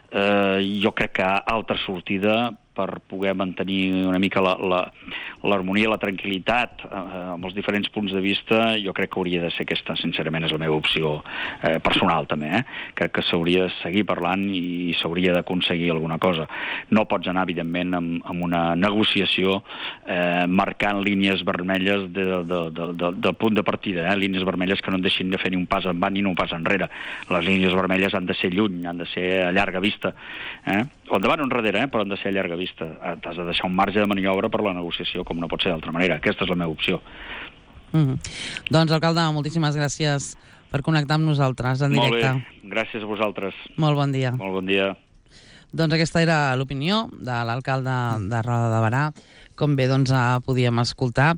Jo crec que altra sortida per poder mantenir una mica l'harmonia, la tranquil·litat amb els diferents punts de vista, jo crec que hauria de ser aquesta, sincerament, és la meva opció personal també, crec que s'hauria de seguir parlant i s'hauria d'aconseguir alguna cosa. No pots anar, evidentment, amb una negociació marcant línies vermelles del punt de partida, línies vermelles que no et deixin de fer ni un pas endavant ni un pas enrere. Les línies vermelles han de ser lluny, han de ser a llarga vista, o endavant o enrere, però han de ser a llarga vista. T'has de deixar un marge de maniobra per la negociació, com no pot ser d'altra manera. Aquesta és la meva opció. Doncs, alcalde, moltíssimes gràcies per connectar amb nosaltres en directe. Molt bé, gràcies a vosaltres. Molt bon dia. Molt bon dia. Doncs aquesta era l'opinió de l'alcalde de Roda de Berà, com bé doncs, podíem escoltar.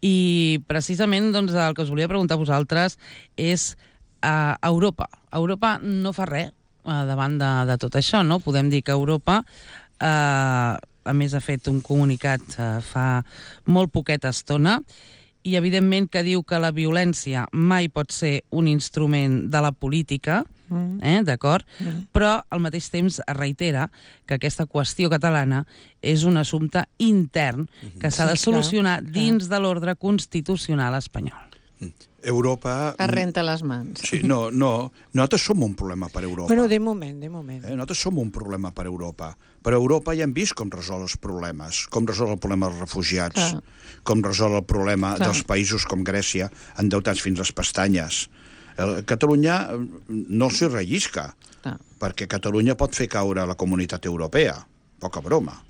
I precisament doncs, el que us volia preguntar a vosaltres és Europa. Europa no fa res davant de tot això, no? Podem dir que Europa, a més, ha fet un comunicat fa molt poqueta estona i, evidentment, que diu que la violència mai pot ser un instrument de la política, d'acord? Però, al mateix temps, es reitera que aquesta qüestió catalana és un assumpte intern que s'ha de solucionar dins de l'ordre constitucional espanyol. Europa... Es renta les mans. Sí, no, nosaltres som un problema per Europa. Bueno, de moment. Nosaltres som un problema per Europa. Per Europa ja hem vist com resol els problemes, com resol el problema dels refugiats, com resol el problema dels països com Grècia, endeutats fins les pestanyes. Catalunya no s'hi rellisca, perquè Catalunya pot fer caure la comunitat europea. Poca broma.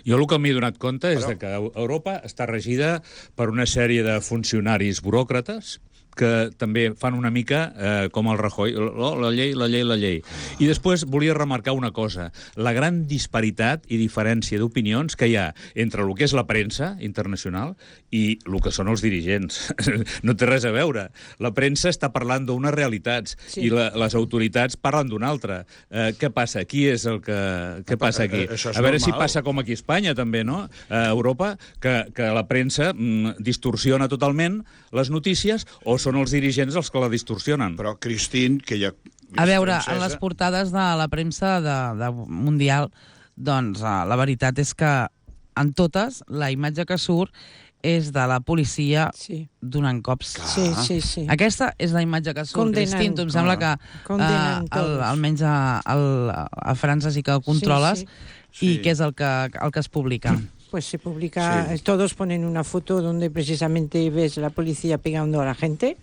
Jo el que m'he donat compte és que Europa està regida per una sèrie de funcionaris buròcrates que també fan una mica com el Rajoy, la llei. I després volia remarcar una cosa, la gran disparitat i diferència d'opinions que hi ha entre el que és la premsa internacional i el que són els dirigents. No té res a veure. La premsa està parlant d'unes realitats i les autoritats parlen d'una altra. Què passa? Qui és el que... Què passa aquí? A veure si passa com aquí a Espanya, també, no? A Europa, que la premsa distorsiona totalment les notícies o són els dirigents els que la distorsionen. Però, Christine, que ja... A veure, en les portades de la premsa mundial, doncs la veritat és que en totes la imatge que surt és de la policia donant cops. Sí. Aquesta és la imatge que surt. Cristín, tu em sembla que almenys a França sí que ho controles i què és el que es publica? Pues se publica, todos ponen una foto donde precisamente ves la policía pegando a la gente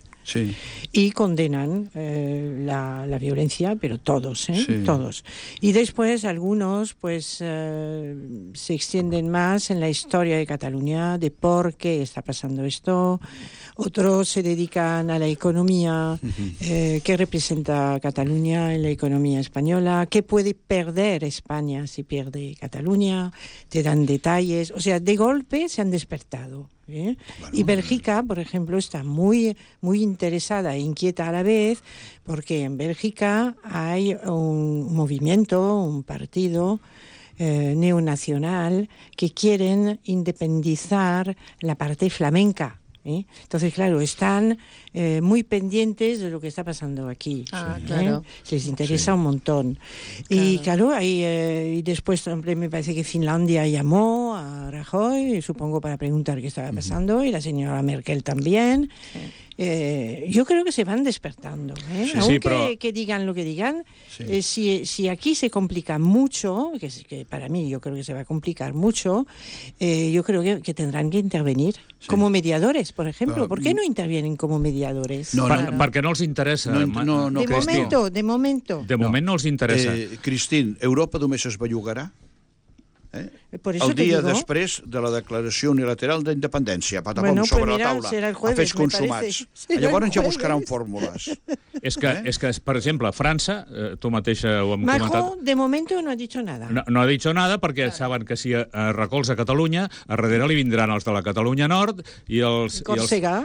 y condenan la violencia, pero todos, todos. Y después algunos pues se extienden más en la historia de Cataluña, de por qué está pasando esto. Otros se dedican a la economía, qué representa Cataluña en la economía española, qué puede perder España si pierde Cataluña, te dan detalles. O sea, de golpe se han despertado. Bueno, y Bélgica, por ejemplo, está muy interesada e inquieta a la vez, porque en Bélgica hay un movimiento, un partido neonacional que quieren independizar la parte flamenca. Entonces, claro, están muy pendientes de lo que está pasando aquí. Claro. Les interesa un montón. Claro. Y claro, y después me parece que Finlandia llamó a Rajoy, supongo para preguntar qué estaba pasando, y la señora Merkel también. Yo creo que se van despertando, aunque que digan lo que digan. Si aquí se complica mucho, que para mí yo creo que se va a complicar mucho, yo creo que tendrán que intervenir como mediadores, por ejemplo. ¿Por qué no intervienen como mediadores? Perquè no els interessa. De momento. De moment no els interessa. Christine, Europa només es bellugarà el dia després de la declaració unilateral d'independència, patapom, sobre la taula, a fets consumats. Llavors ja buscaran fórmules. És que, per exemple, França, tu mateixa ho hem comentat... Macron, de momento, no ha dicho nada. No ha dicho nada perquè saben que si recolza Catalunya, a darrere li vindran els de la Catalunya Nord i els de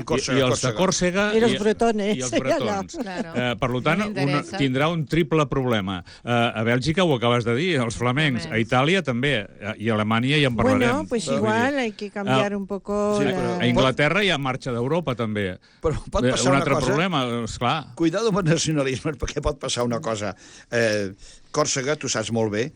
Còrsega i els bretones. Per tant, tindrà un triple problema. A Bèlgica ho acabes de dir, els flamencs. A Itàlia també, i a Alemanya ja en parlarem. Bueno, pues igual hay que cambiar un poco... A Inglaterra hi ha marxa d'Europa, també. Però pot passar un altre problema, esclar. Cuidado amb el nacionalisme, perquè pot passar una cosa. Còrsega, tu saps molt bé,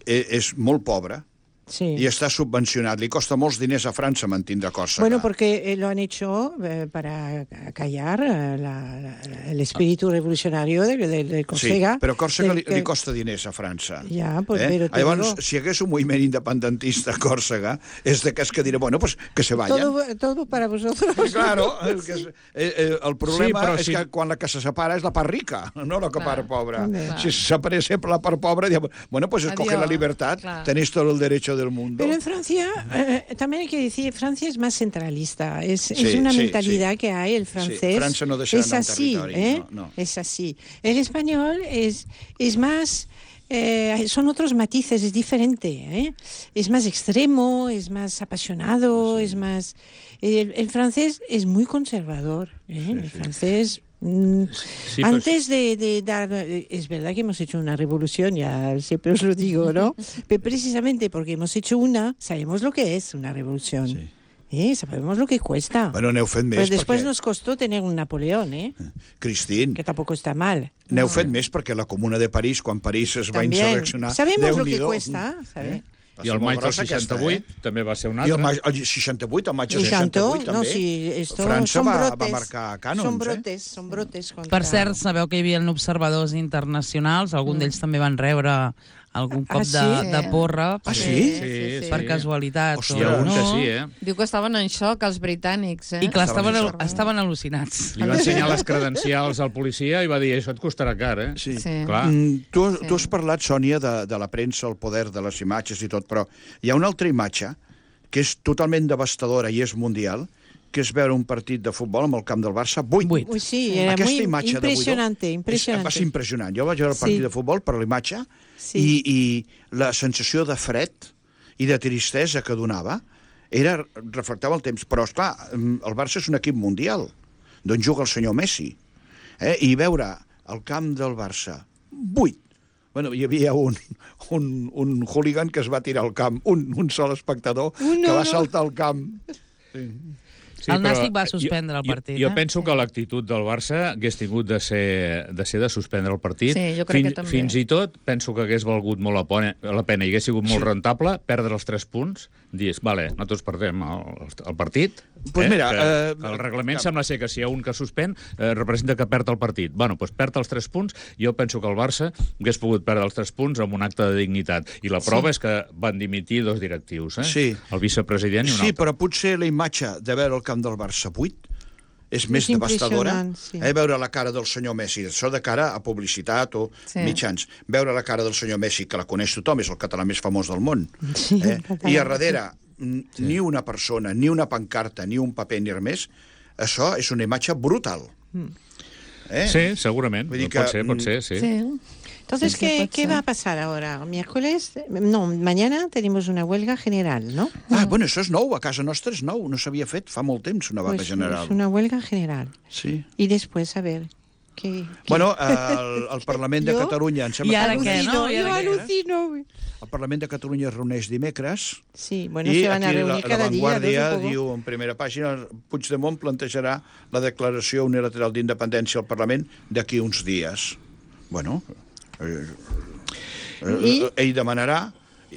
és molt pobra, Sí. Y está subvencionat. Li costa molts diners a França mantindre Còrsega. Bueno, porque lo han hecho para callar el espíritu revolucionario de Còrsega. Sí, però Còrsega li costa diners a França. Ja, però... Llavors, si hi hagués un moviment independentista a Còrsega, és d'aquests que diré, bueno, pues que se vayan. Todo para vosotros. Claro, el problema és que quan la que se separa és la part rica, no la part pobra. Si se separa sempre la part pobra, bueno, pues escoge la libertad, tenéis todo el derecho del mundo. Pero en Francia, también hay que decir, Francia es más centralista. Es una mentalidad que hay, el francés. Francia no es así, no. Es así. El español es más... son otros matices, es diferente, es más extremo, es más apasionado, es más... El francés es muy conservador, el francés... Sí, antes de dar... Es verdad que hemos hecho una revolución, ya siempre os lo digo, ¿no? Pero precisamente porque hemos hecho sabemos lo que es una revolución. Sí. Sabemos lo que cuesta. Bueno, n'heu fet més. Pero después nos costó tener un Napoleón, Cristín. Que tampoco está mal. N'heu fet més perquè la Comuna de París, quan París es va insurreccionar... Sabemos lo que cuesta, ¿sabes? I el maig del 68 també va ser un altre. I el 68, el maig del 68 també. No, sí, França va marcar cànons. Són brotes. Per cert, sabeu que hi havia observadors internacionals, algun d'ells també van rebre algun cop de porra. Sí? Per casualitat. Hòstia, Diu que estaven en xoc els britànics. I clar, estaven al·lucinats. Li va ensenyar les credencials al policia i va dir, això et costarà car, Sí. Clar. Tu has parlat, Sònia, de la premsa, el poder de les imatges i tot, però hi ha una altra imatge que és totalment devastadora i és mundial, que és veure un partit de futbol amb el camp del Barça 8. Sí, era muy impressionante. Va ser impressionant. Jo vaig veure el partit de futbol per l'imatge i la sensació de fred i de tristesa que donava reflectava el temps. Però, esclar, el Barça és un equip mundial d'on juga el senyor Messi. I veure el camp del Barça 8. Bueno, hi havia un hooligan que es va tirar al camp, un sol espectador que va saltar al camp. Sí, el Nàstic va suspendre el partit. Jo penso que l'actitud del Barça hagués tingut de ser de suspendre el partit. Sí, jo crec que també. Fins i tot penso que hagués valgut molt la pena i hagués sigut molt rentable perdre els 3 punts, dius, vale, nosaltres perdem el partit. Pues mira, el reglament sembla ser que si hi ha un que suspèn representa que perd el partit. Bueno, doncs perd els 3 punts. Jo penso que el Barça hagués pogut perdre els 3 punts amb un acte de dignitat. I la prova és que van dimitir 2 directius, el vicepresident i un altre. Sí, però potser la imatge de veure el camp del Barça 8 és més devastadora. Veure la cara del senyor Messi, això de cara a publicitat o mitjans. Veure la cara del senyor Messi, que la coneix tothom, és el català més famós del món. I a darrere ni una persona, ni una pancarta, ni un paper, ni res més, això és una imatge brutal. Sí, segurament. Pot ser, sí. Entonces, ¿qué va a pasar ahora? Mañana tenemos una huelga general, ¿no? Bueno, això és nou, a casa nostra és nou, no s'havia fet fa molt temps una vaga general. Es una huelga general. Sí. Y después, a ver... Bueno, el Parlament de Catalunya... I ara què, no? Jo al·lucino. El Parlament de Catalunya es reuneix dimecres. Sí, bueno, se van a reunir cada dia. I aquí La Vanguardia diu, en primera pàgina, Puigdemont plantejarà la declaració unilateral d'independència al Parlament d'aquí uns dies. Bueno, ell demanarà...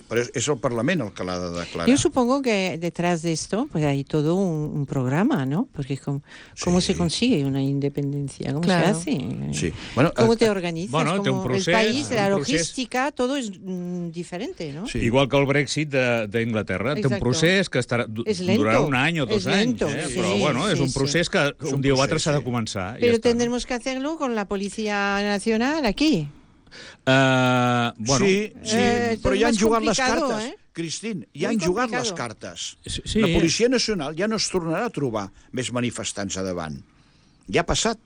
Pero es el Parlamento el que la ha de declarar. Yo supongo que detrás de esto pues hay todo un programa, ¿no? Porque ¿cómo se consigue una independencia? ¿Cómo se hace? Sí. Bueno, ¿Cómo te organizas? Bueno, té un procés, el país, la logística, todo es diferente, ¿no? Sí. Igual que el Brexit d'Inglaterra. Té un procés que durarà un any o 2 anys. Però bueno, és un procés que un dia o altre s'ha de començar. Pero tendremos que hacerlo con la Policía Nacional aquí. Bueno, sí, però ja han jugat les cartes. Cristín, ja han jugat les cartes. La Policia Nacional ja no es tornarà a trobar més manifestants a davant. Ja ha passat.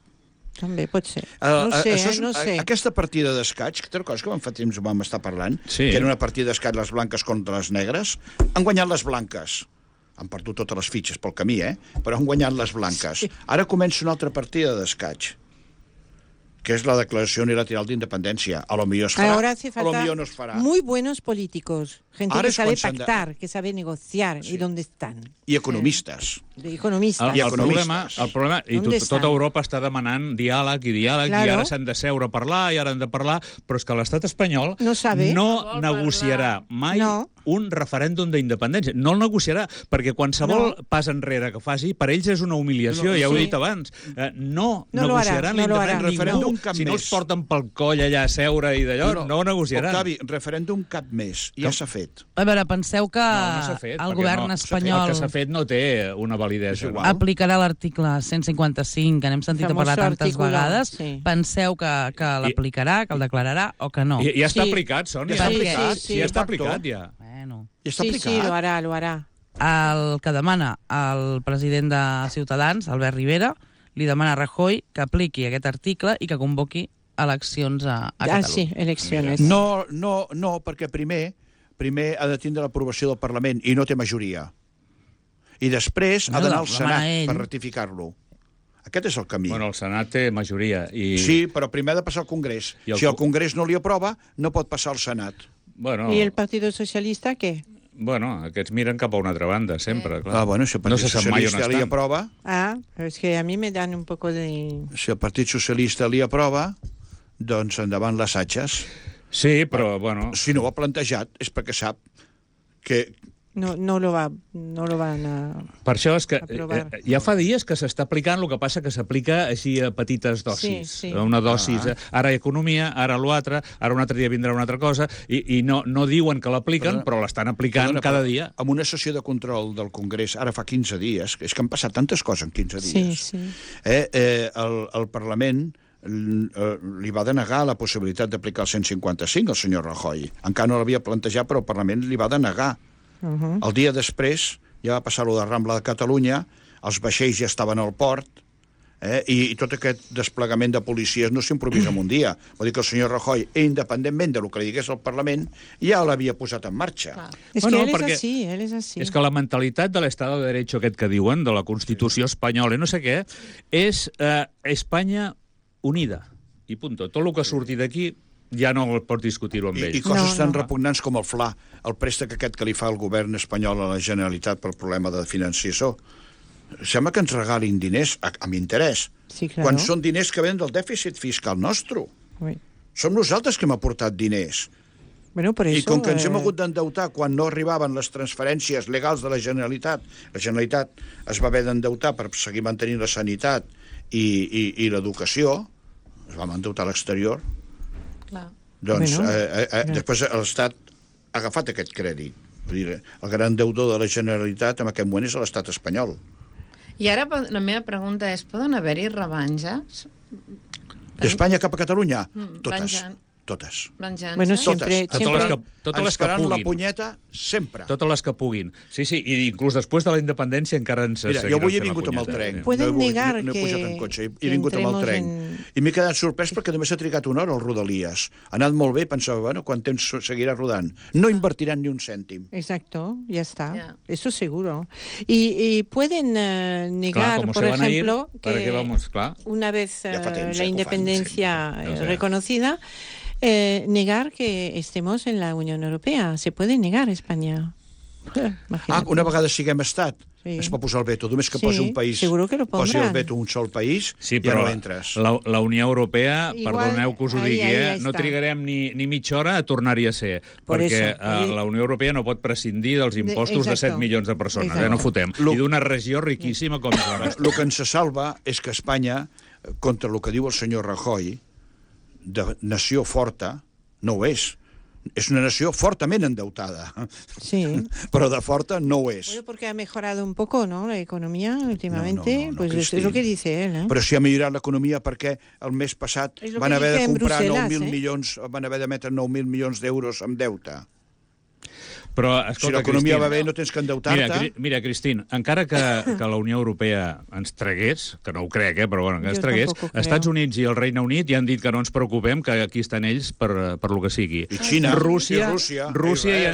També pot ser. No sé. Aquesta partida d'escaig, que té coses que fa temps vam estar parlant, que era una partida d'escaig les blanques contra les negres, han guanyat les blanques. Han perdut totes les fitxes pel camí, però han guanyat les blanques. Ara comença una altra partida d'escaig, que es la declaración unilateral de independencia. A lo millor es farà, ahora hace falta a lo millor no es farà. Muy buenos políticos, gente que sabe pactar, que sabe negociar, y dónde están. I economistes. Economistes. El problema, i tota Europa està demanant diàleg, i ara s'han de seure a parlar, i ara han de parlar, però és que l'estat espanyol no negociarà mai un referèndum d'independència. No el negociarà, perquè qualsevol pas enrere que faci, per ells és una humiliació, ja ho he dit abans. No negociaran l'independència ningú. Si no els porten pel coll allà a seure i d'allò, no ho negociaran. Octavi, referèndum cap més. Ja s'ha fet. A veure, penseu que el govern espanyol... El que s'ha fet no té una validesa. Aplicarà l'article 155, que n'hem sentit a parlar tantes vegades. Penseu que l'aplicarà, que el declararà o que no? Ja està aplicat, Sònia. Ja està aplicat, ja. Sí, lo hará. El que demana el president de Ciutadans, Albert Rivera, li demana a Rajoy que apliqui aquest article i que convoqui eleccions a Catalunya. Sí, eleccions. No, perquè primer ha de tindre l'aprovació del Parlament i no té majoria. I després ha d'anar al Senat per ratificar-lo. Aquest és el camí. Bueno, el Senat té majoria. Sí, però primer ha de passar al Congrés. Si el Congrés no li aprova, no pot passar al Senat. ¿Y el Partido Socialista qué? Bueno, aquests miren cap a una altra banda, sempre, clar. Bueno, si el Partit Socialista li aprova... Pero es que a mí me dan un poco de... Si el Partit Socialista li aprova, doncs endavant les atxes. Sí, però, bueno... Si no ho ha plantejat és perquè sap que... No lo van a... Per això és que ja fa dies que s'està aplicant, el que passa que s'aplica així a petites dosis. Sí. Una dosis, ara economia, ara l'altre, ara un altre dia vindrà una altra cosa, i no diuen que l'apliquen, però l'estan aplicant cada dia. En una sessió de control del Congrés, ara fa 15 dies, és que han passat tantes coses en 15 dies, el Parlament li va denegar la possibilitat d'aplicar el 155 al senyor Rajoy. Encara no l'havia plantejat, però el Parlament li va denegar. El dia després ja va passar-ho de Rambla de Catalunya, els vaixells ja estaven al port, i tot aquest desplegament de policies no s'improvisa en un dia. Vol dir que el senyor Rajoy, independentment del que li digués al Parlament, ja l'havia posat en marxa. És que él és així. És que la mentalitat de l'Estado de Derecho aquest que diuen, de la Constitució espanyola i no sé què, és Espanya unida. I punto. Tot el que surti d'aquí ja no pots discutir-ho amb ells. I coses tan repugnants com el FLA, el préstec aquest que li fa el govern espanyol a la Generalitat per problema de financiació. Sembla que ens regalin diners amb interès, quan són diners que venen del dèficit fiscal nostre. Som nosaltres que hem aportat diners. I com que ens hem hagut d'endeutar quan no arribaven les transferències legals de la Generalitat es va haver d'endeutar per seguir mantenint la sanitat i l'educació, es va endeutar a l'exterior. Doncs després l'Estat ha agafat aquest crèdit. El gran deudor de la Generalitat en aquest moment és l'Estat espanyol. I ara la meva pregunta és, poden haver-hi revanges? D'Espanya cap a Catalunya? Totes. Bueno, siempre. Totes les que puguin. La punyeta, sempre. Totes les que puguin. Sí, i inclús després de la independència encara ens seguiran fent la punyeta. Jo avui he vingut amb el tren. Pueden negar que... No he pujat en cotxe, he vingut amb el tren. I m'he quedat sorprès perquè només s'ha trigat una hora al Rodalies. Ha anat molt bé, pensava, bueno, quant temps seguirà rodant. No invertiran ni un cèntim. Exacto, ya está. Eso seguro. Y pueden negar, por ejemplo, que una vez la independencia reconocida, negar que estemos en la Unión Europea. Se puede negar España. Una vegada siguem estat, es pot posar el veto. Només que posi un país, posi el veto un sol país, ja no entres. La Unió Europea, perdoneu que us ho digui, no trigarem ni mitja hora a tornar-hi a ser, perquè la Unió Europea no pot prescindir dels impostos de 7 milions de persones, no fotem. I d'una regió riquíssima com és la nostra. El que ens salva és que Espanya, contra el que diu el senyor Rajoy, de nació forta, no ho és. Es una nació fortament endeutada. Sí. Però de forta no ho és. Bueno, porque ha mejorado un poco, ¿no?, la economía últimamente. No, pues es lo que dice él, ¿eh? Però si ha millorat l'economia perquè el mes passat van haver de comprar 9.000 milions, van haver d'emetre 9.000 milions d'euros amb deute. Però, escolta, si l'economia va bé, no tens que endeutar-te. Mira, Cristín, encara que la Unió Europea ens tragués, que no ho crec, però bueno, que ens tragués, Estats Units i el Regne Unit ja han dit que no ens preocupem, que aquí estan ells per lo que sigui. I Xina. Rússia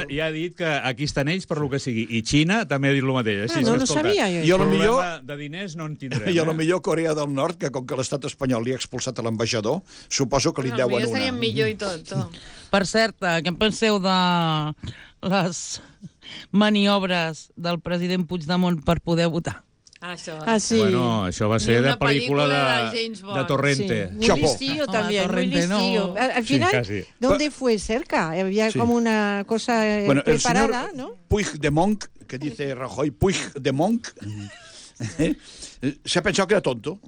ja ha dit que aquí estan ells per lo que sigui. I Xina també ha dit el mateix. No ho sabia jo. I problema de diners no en tindrem. I potser Corea del Nord, que com que l'estat espanyol li ha expulsat a l'ambaixador, suposo que li deuen una. Seria millor i tot. Per cert, què en penseu de les maniobres del president Puigdemont per poder votar? Bueno, això va ser de pel·lícula de Torrente. Muy listillo también, muy listillo. Al final, ¿dónde fue? Cerca. Había como una cosa preparada, ¿no? Puigdemont, que dice Rajoy, Puigdemont, se ha pensado que era tonto.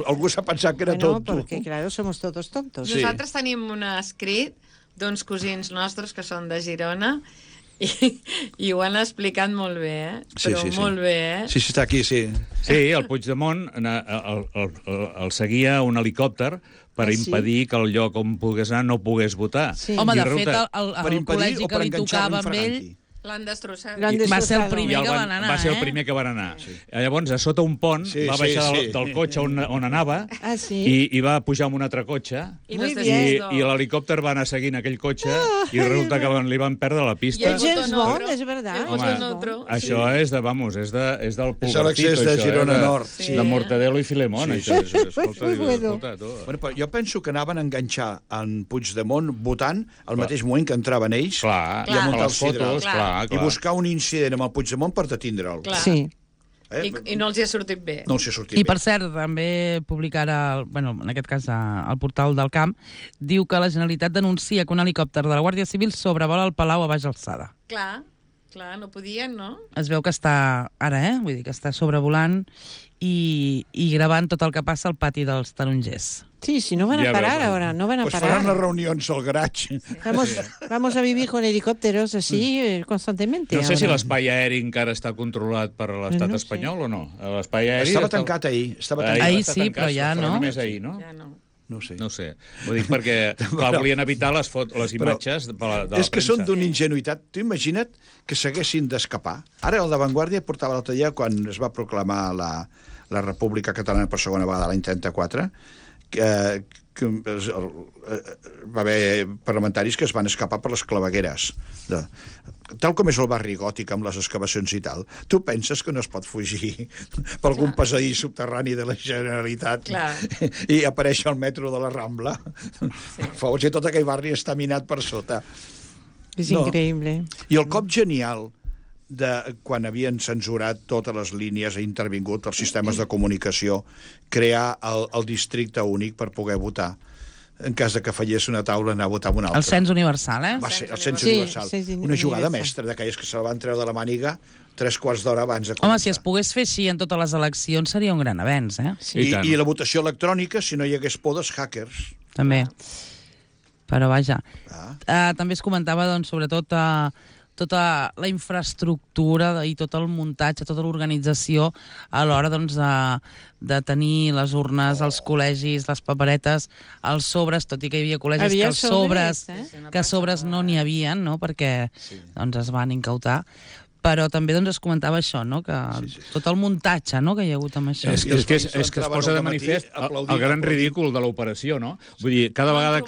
Algú s'ha pensat que era tonto. Porque, claro, somos todos tontos. Nosaltres tenim un escrit d'uns cosins nostres que són de Girona i ho han explicat molt bé, però molt bé, Sí, està aquí, sí. Sí, el Puigdemont el seguia un helicòpter per impedir que el lloc on pogués anar no pogués votar. Home, de fet, el col·legi que li tocava amb ell l'han destrossat. Va ser el primer que van anar. Va ser el primer que van anar. Llavors, a sota un pont, va baixar del cotxe on anava i va pujar amb un altre cotxe i l'helicòpter va anar seguint aquell cotxe i resulta que li van perdre la pista. James Bond, és veritat. Això és del Pulgarcito. És l'accés de Girona Nord. De Mortadelo i Filemón. Jo penso que anaven a enganxar en Puigdemont votant al mateix moment que entraven ells i a muntar els fotos, i buscar un incident amb el Puigdemont per detindre'l. Sí. I no els hi ha sortit bé. No els hi ha sortit bé. I, per cert, també publica ara, en aquest cas, al portal del Camp, diu que la Generalitat denuncia que un helicòpter de la Guàrdia Civil sobrevola el Palau a baixa alçada. Clar, no podien, no? Es veu que està, ara, vull dir que està sobrevolant i gravant tot el que passa al pati dels tarongers. Sí, si no van a parar ahora, no van a parar. Pues faran les reunions al garatge. Vamos a vivir con helicópteros así constantemente. No sé si l'espai aeri encara està controlat per l'estat espanyol o no. L'espai aeri estava tancat ahir. Ahir sí, però ja no. Només ahir, no? Ja no. No sé. Ho dic perquè volien evitar les imatges de la premsa. És que són d'una ingenuïtat. Tu imagina't que s'haguessin d'escapar. Ara el de Vanguardia portava l'altre dia, quan es va proclamar la República Catalana per segona vegada l'any 34, que va haver parlamentaris que es van escapar per les clavegueres. Tal com és el barri gòtic amb les excavacions i tal, tu penses que no es pot fugir per algun passadís subterrani de la Generalitat i apareix al metro de la Rambla? Fos que tot aquell barri està minat per sota. És increïble. I el cop genial de quan havien censurat totes les línies, ha intervingut els sistemes de comunicació, crear el districte únic per poder votar. En cas de que fallés una taula, anar a votar amb una altra. El cens universal, Va ser el cens universal. Una jugada mestra d'aquelles que se la van treure de la màniga 3 quarts d'hora abans de començar. Home, si es pogués fer així en totes les eleccions seria un gran avenç, I la votació electrònica, si no hi hagués por dels hackers. També. Però vaja. També es comentava, doncs, sobretot tota la infraestructura i tot el muntatge, tota l'organització a l'hora doncs, de tenir les urnes, els col·legis, les paperetes, els sobres, tot i que hi havia col·legis que sobres no n'hi havia, no? Perquè doncs, es van incautar. Però també doncs, es comentava això, no? Que tot el muntatge, no? Que hi ha hagut amb això. És que es posa de manifest el gran ridícul de l'operació, no? Vull dir, cada vegada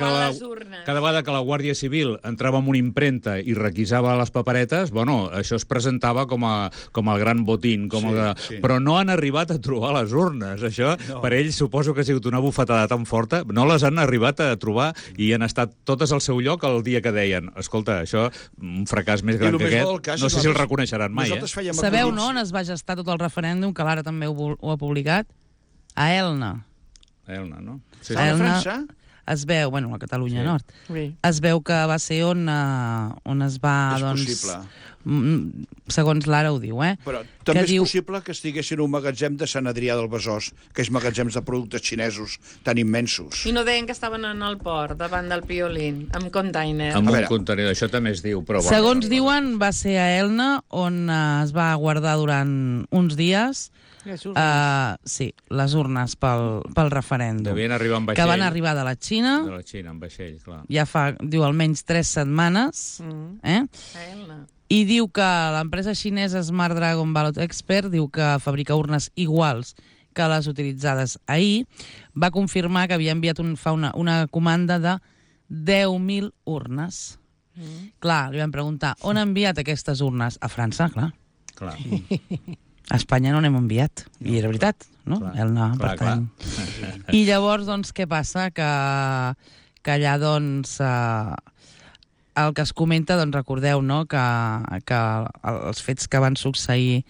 que la Guàrdia Civil entrava en una impremta i requisava les paperetes, bueno, això es presentava com el gran botín, però no han arribat a trobar les urnes. Això, per ells, suposo que ha sigut una bufetada tan forta, no les han arribat a trobar i han estat totes al seu lloc el dia que deien, escolta, això, un fracàs més gran que aquest, no sé si el reconeixeran mai, Sabeu, no?, on es va gestar tot el referèndum, que l'Ara també ho ha publicat? A Elna. A Elna, no? Sí. A França? Es veu, a Catalunya Nord, es veu que va ser on es va, doncs... És possible. Segons l'Ara ho diu, Però també és possible que estiguessin un magatzem de Sant Adrià del Besòs, que és magatzems de productes xinesos tan immensos. I no deien que estaven en el port, davant del Piolín, amb container. Amb un contenidor, això també es diu. Però segons diuen, va ser a Elna, on es va guardar durant uns dies les urnes pel referèndum. Devien arribar amb vaixell. Que van arribar de la Xina. De la Xina, amb vaixell, clar. Ja fa, diu, almenys 3 setmanes. A Elna. I diu que l'empresa xinesa Smart Dragon Ballot Expert diu que fabrica urnes iguals que les utilitzades ahir. Va confirmar que havia enviat una comanda de 10.000 urnes. Clar, li vam preguntar, on ha enviat aquestes urnes? A França, clar. A Espanya no n'hem enviat. I era veritat, no? Clar. I llavors, doncs, què passa? Que allà, doncs... el que es comenta, doncs recordeu, no?, que els fets que van succeir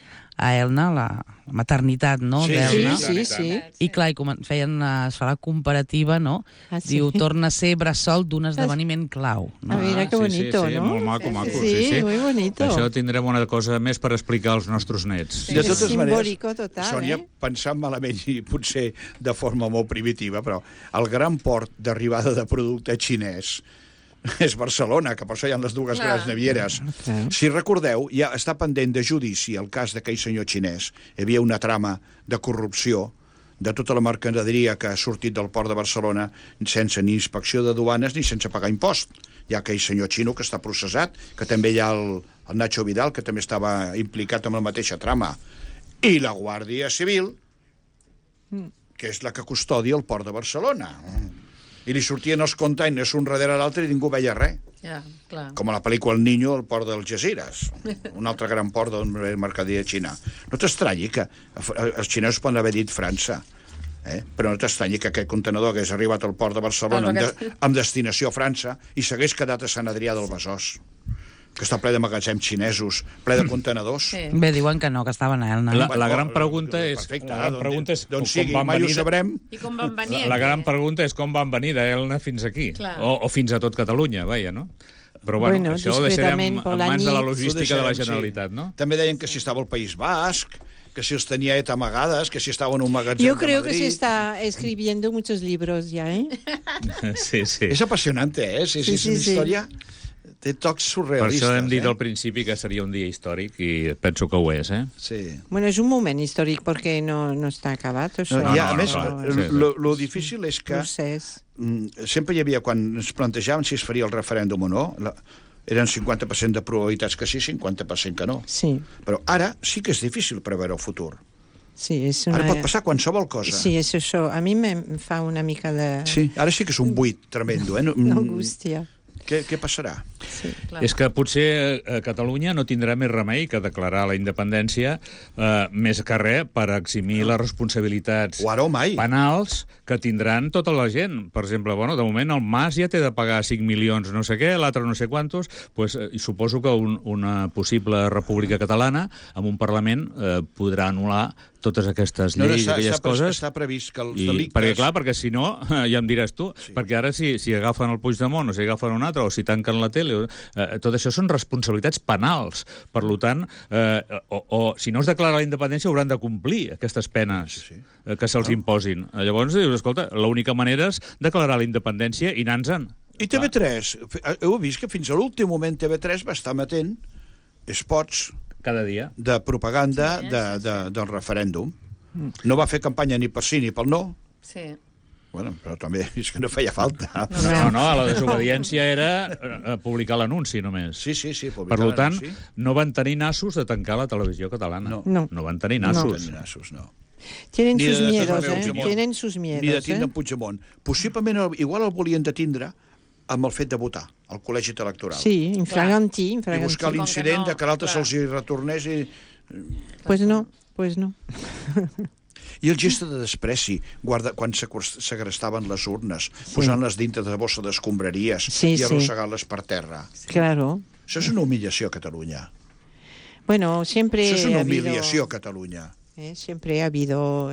a Elna, la maternitat, no?, d'Elna. Sí. I clar, es fa la comparativa, no? Diu, torna a ser bressol d'un esdeveniment clau. No? Mira que bonito, sí, no? Molt maco. Sí, muy bonito. Això tindrem una cosa més per explicar als nostres nets. De totes maneres, total, Sònia, pensant malament i potser de forma molt primitiva, però el gran port d'arribada de producte xinès és Barcelona, que per això hi ha les dues grans navieres. Si recordeu, ja està pendent de judici el cas d'aquell senyor xinès. Hi havia una trama de corrupció de tota la mercaderia que ha sortit del port de Barcelona sense ni inspecció de duanes ni sense pagar impost. Hi ha aquell senyor xino que està processat, que també hi ha el Nacho Vidal, que també estava implicat en la mateixa trama. I la Guàrdia Civil, que és la que custodia el port de Barcelona. I li sortien els containers un darrere l'altre i ningú veia res. Ja, clar. Com a la pel·lícula El Niño, el port dels Jaziras, un altre gran port de mercaderia xina. No t'estranyi que els xinesos poden haver dit França, però no t'estranyi que aquest contenedor hagués arribat al port de Barcelona amb destinació a França i s'hagués quedat a Sant Adrià del Besòs, que està ple de magatzems xinesos, ple de contenedors. Sí. Bé, diuen que no, que estaven a Elna. La gran pregunta és... D'on sigui, mai ho sabrem. I com van venir? La gran pregunta és com van venir d'Elna fins aquí. O fins a tot Catalunya, vaja, no? Però bueno, això ho deixarem en mans de la logística de la Generalitat, no? També deien que si estava al País Basc, que si els tenia amagades, que si estava en un magatzem Yo creo que se está escribiendo muchos libros ya, ¿eh? Sí. És apassionante, ¿eh? És una història... Té tocs surrealistes. Per això hem dit al principi que seria un dia històric i penso que ho és, Sí. Bueno, és un moment històric perquè no està acabat. A més, lo difícil és que sempre hi havia, quan ens plantejaven si es faria el referèndum o no, eren 50% de probabilitats que sí, 50% que no. Sí. Però ara sí que és difícil preveure el futur. Sí, és una... Ara pot passar qualsevol cosa. Sí, és això. A mi em fa una mica de... Sí, ara sí que és un buit tremendo, Angústia. Què passarà? Sí, és que potser Catalunya no tindrà més remei que declarar la independència més que res per eximir les responsabilitats penals que tindran tota la gent. Per exemple, de moment el Mas ja té de pagar 5 milions no sé què, l'altre no sé quantos, i suposo que una possible república catalana amb un Parlament podrà anul·lar totes aquestes lleis i aquelles coses. Està previst que els delictes... Perquè si no, ja em diràs tu, perquè ara si agafen el Puigdemont o si agafen un altre o si tanquen la tele, tot això són responsabilitats penals. Per tant, si no es declara la independència hauran de complir aquestes penes que se'ls imposin. Llavors dius, escolta, l'única manera és declarar la independència i anar-se'n. I TV3, heu vist que fins a l'últim moment TV3 va estar emetent spots cada dia de propaganda del referèndum. No va fer campanya ni per sí ni pel no. Sí. Bueno, però també és que no feia falta. No, la desobediència era publicar l'anunci només. Sí, per tant, no van tenir nassos de tancar la televisió catalana. No van tenir nassos. No. Tienen sus miedos, Tienen sus miedos. Ni de tindre en Puigdemont. Possiblement, igual el volien de tindre amb el fet de votar al col·legi electoral. Sí, infraganti. I buscar l'incident de que l'altre se'ls hi retornés i... Pues no. I el gest de despreci, quan segrestaven les urnes, posant-les dintre de bossa d'escombraries i arrossegant-les per terra. Claro. Això és una humillació a Catalunya. Bueno, siempre Això és una humiliació a Catalunya. Siempre ha habido...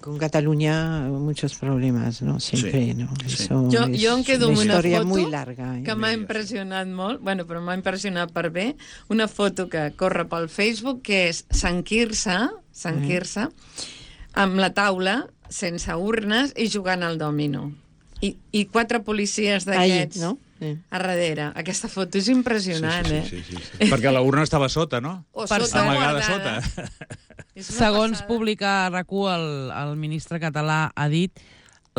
con Cataluña muchos problemas, ¿no? Siempre, ¿no? Eso jo em quedo amb una foto muy larga, que m'ha impressionat molt, però m'ha impressionat per bé, una foto que corre pel Facebook, que és Sant Quirze, amb la taula, sense urnes, i jugant al dòmino. I 4 policies d'aquests a darrere. Aquesta foto és impressionant, sí. Perquè la urna estava sota, no? O sota, amagada sota. Segons publica RAC1, el ministre català ha dit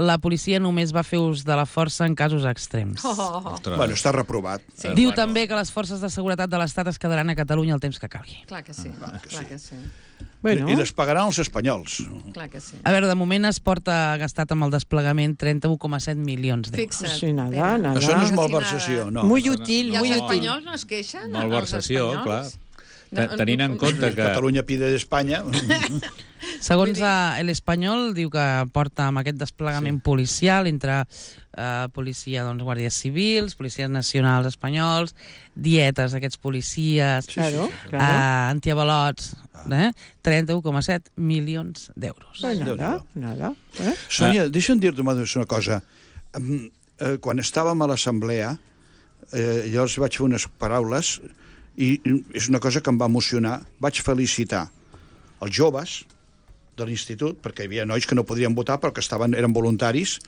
la policia només va fer ús de la força en casos extrems. Bueno, està reprovat. Diu també que les forces de seguretat de l'Estat es quedaran a Catalunya el temps que calgui. Clar que sí. I les pagaran els espanyols. Clar que sí. A veure, de moment es porta gastat amb el desplegament 31,7 milions d'euros. Fixa't. Sí, nada. Això no és malversació, no. Muy útil, I els espanyols no es queixen? Malversació, clar. Tenint en compte que... Catalunya pide d'Espanya. Segons l'Espanyol, diu que porta amb aquest desplegament policial entre policia, doncs, guàrdies civils, policies nacionals espanyols, dietes d'aquests policies, antiavalots, 31,7 milions d'euros. Nada. Sònia, deixa'm dir-te una cosa. Quan estàvem a l'assemblea, jo els vaig fer unes paraules i és una cosa que em va emocionar. Vaig felicitar els joves de l'institut, perquè hi havia nois que no podien votar però que eren voluntaris,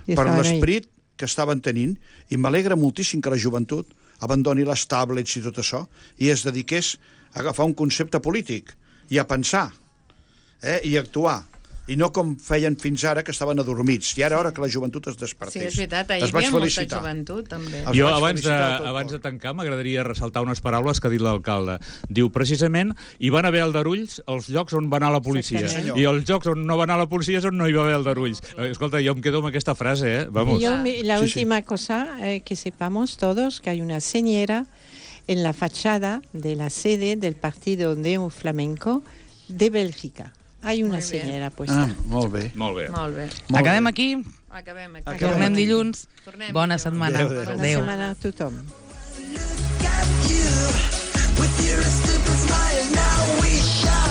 per l'esperit que estaven tenint, i m'alegra moltíssim que la joventut abandoni les tablets i tot això i es dediqués a agafar un concepte polític i a pensar i a actuar. I no com feien fins ara, que estaven adormits. I ara hora que la joventut es despertés. Sí, és veritat, hi havia molta joventut, també. Jo, abans de tancar, m'agradaria ressaltar unes paraules que ha dit l'alcalde. Diu, precisament, hi van haver aldarulls als llocs on va anar la policia. I els llocs on no va anar la policia és on no hi va haver aldarulls. Escolta, jo em quedo amb aquesta frase, Vamos. La última cosa, que sepamos todos que hay una señera en la fachada de la sede del partido de flamenco de Bélgica. Hay una senyera puesta. Molt bé. Acabem aquí. Tornem dilluns. Bona setmana. Bona setmana a tothom. With your stupid smile, now we shall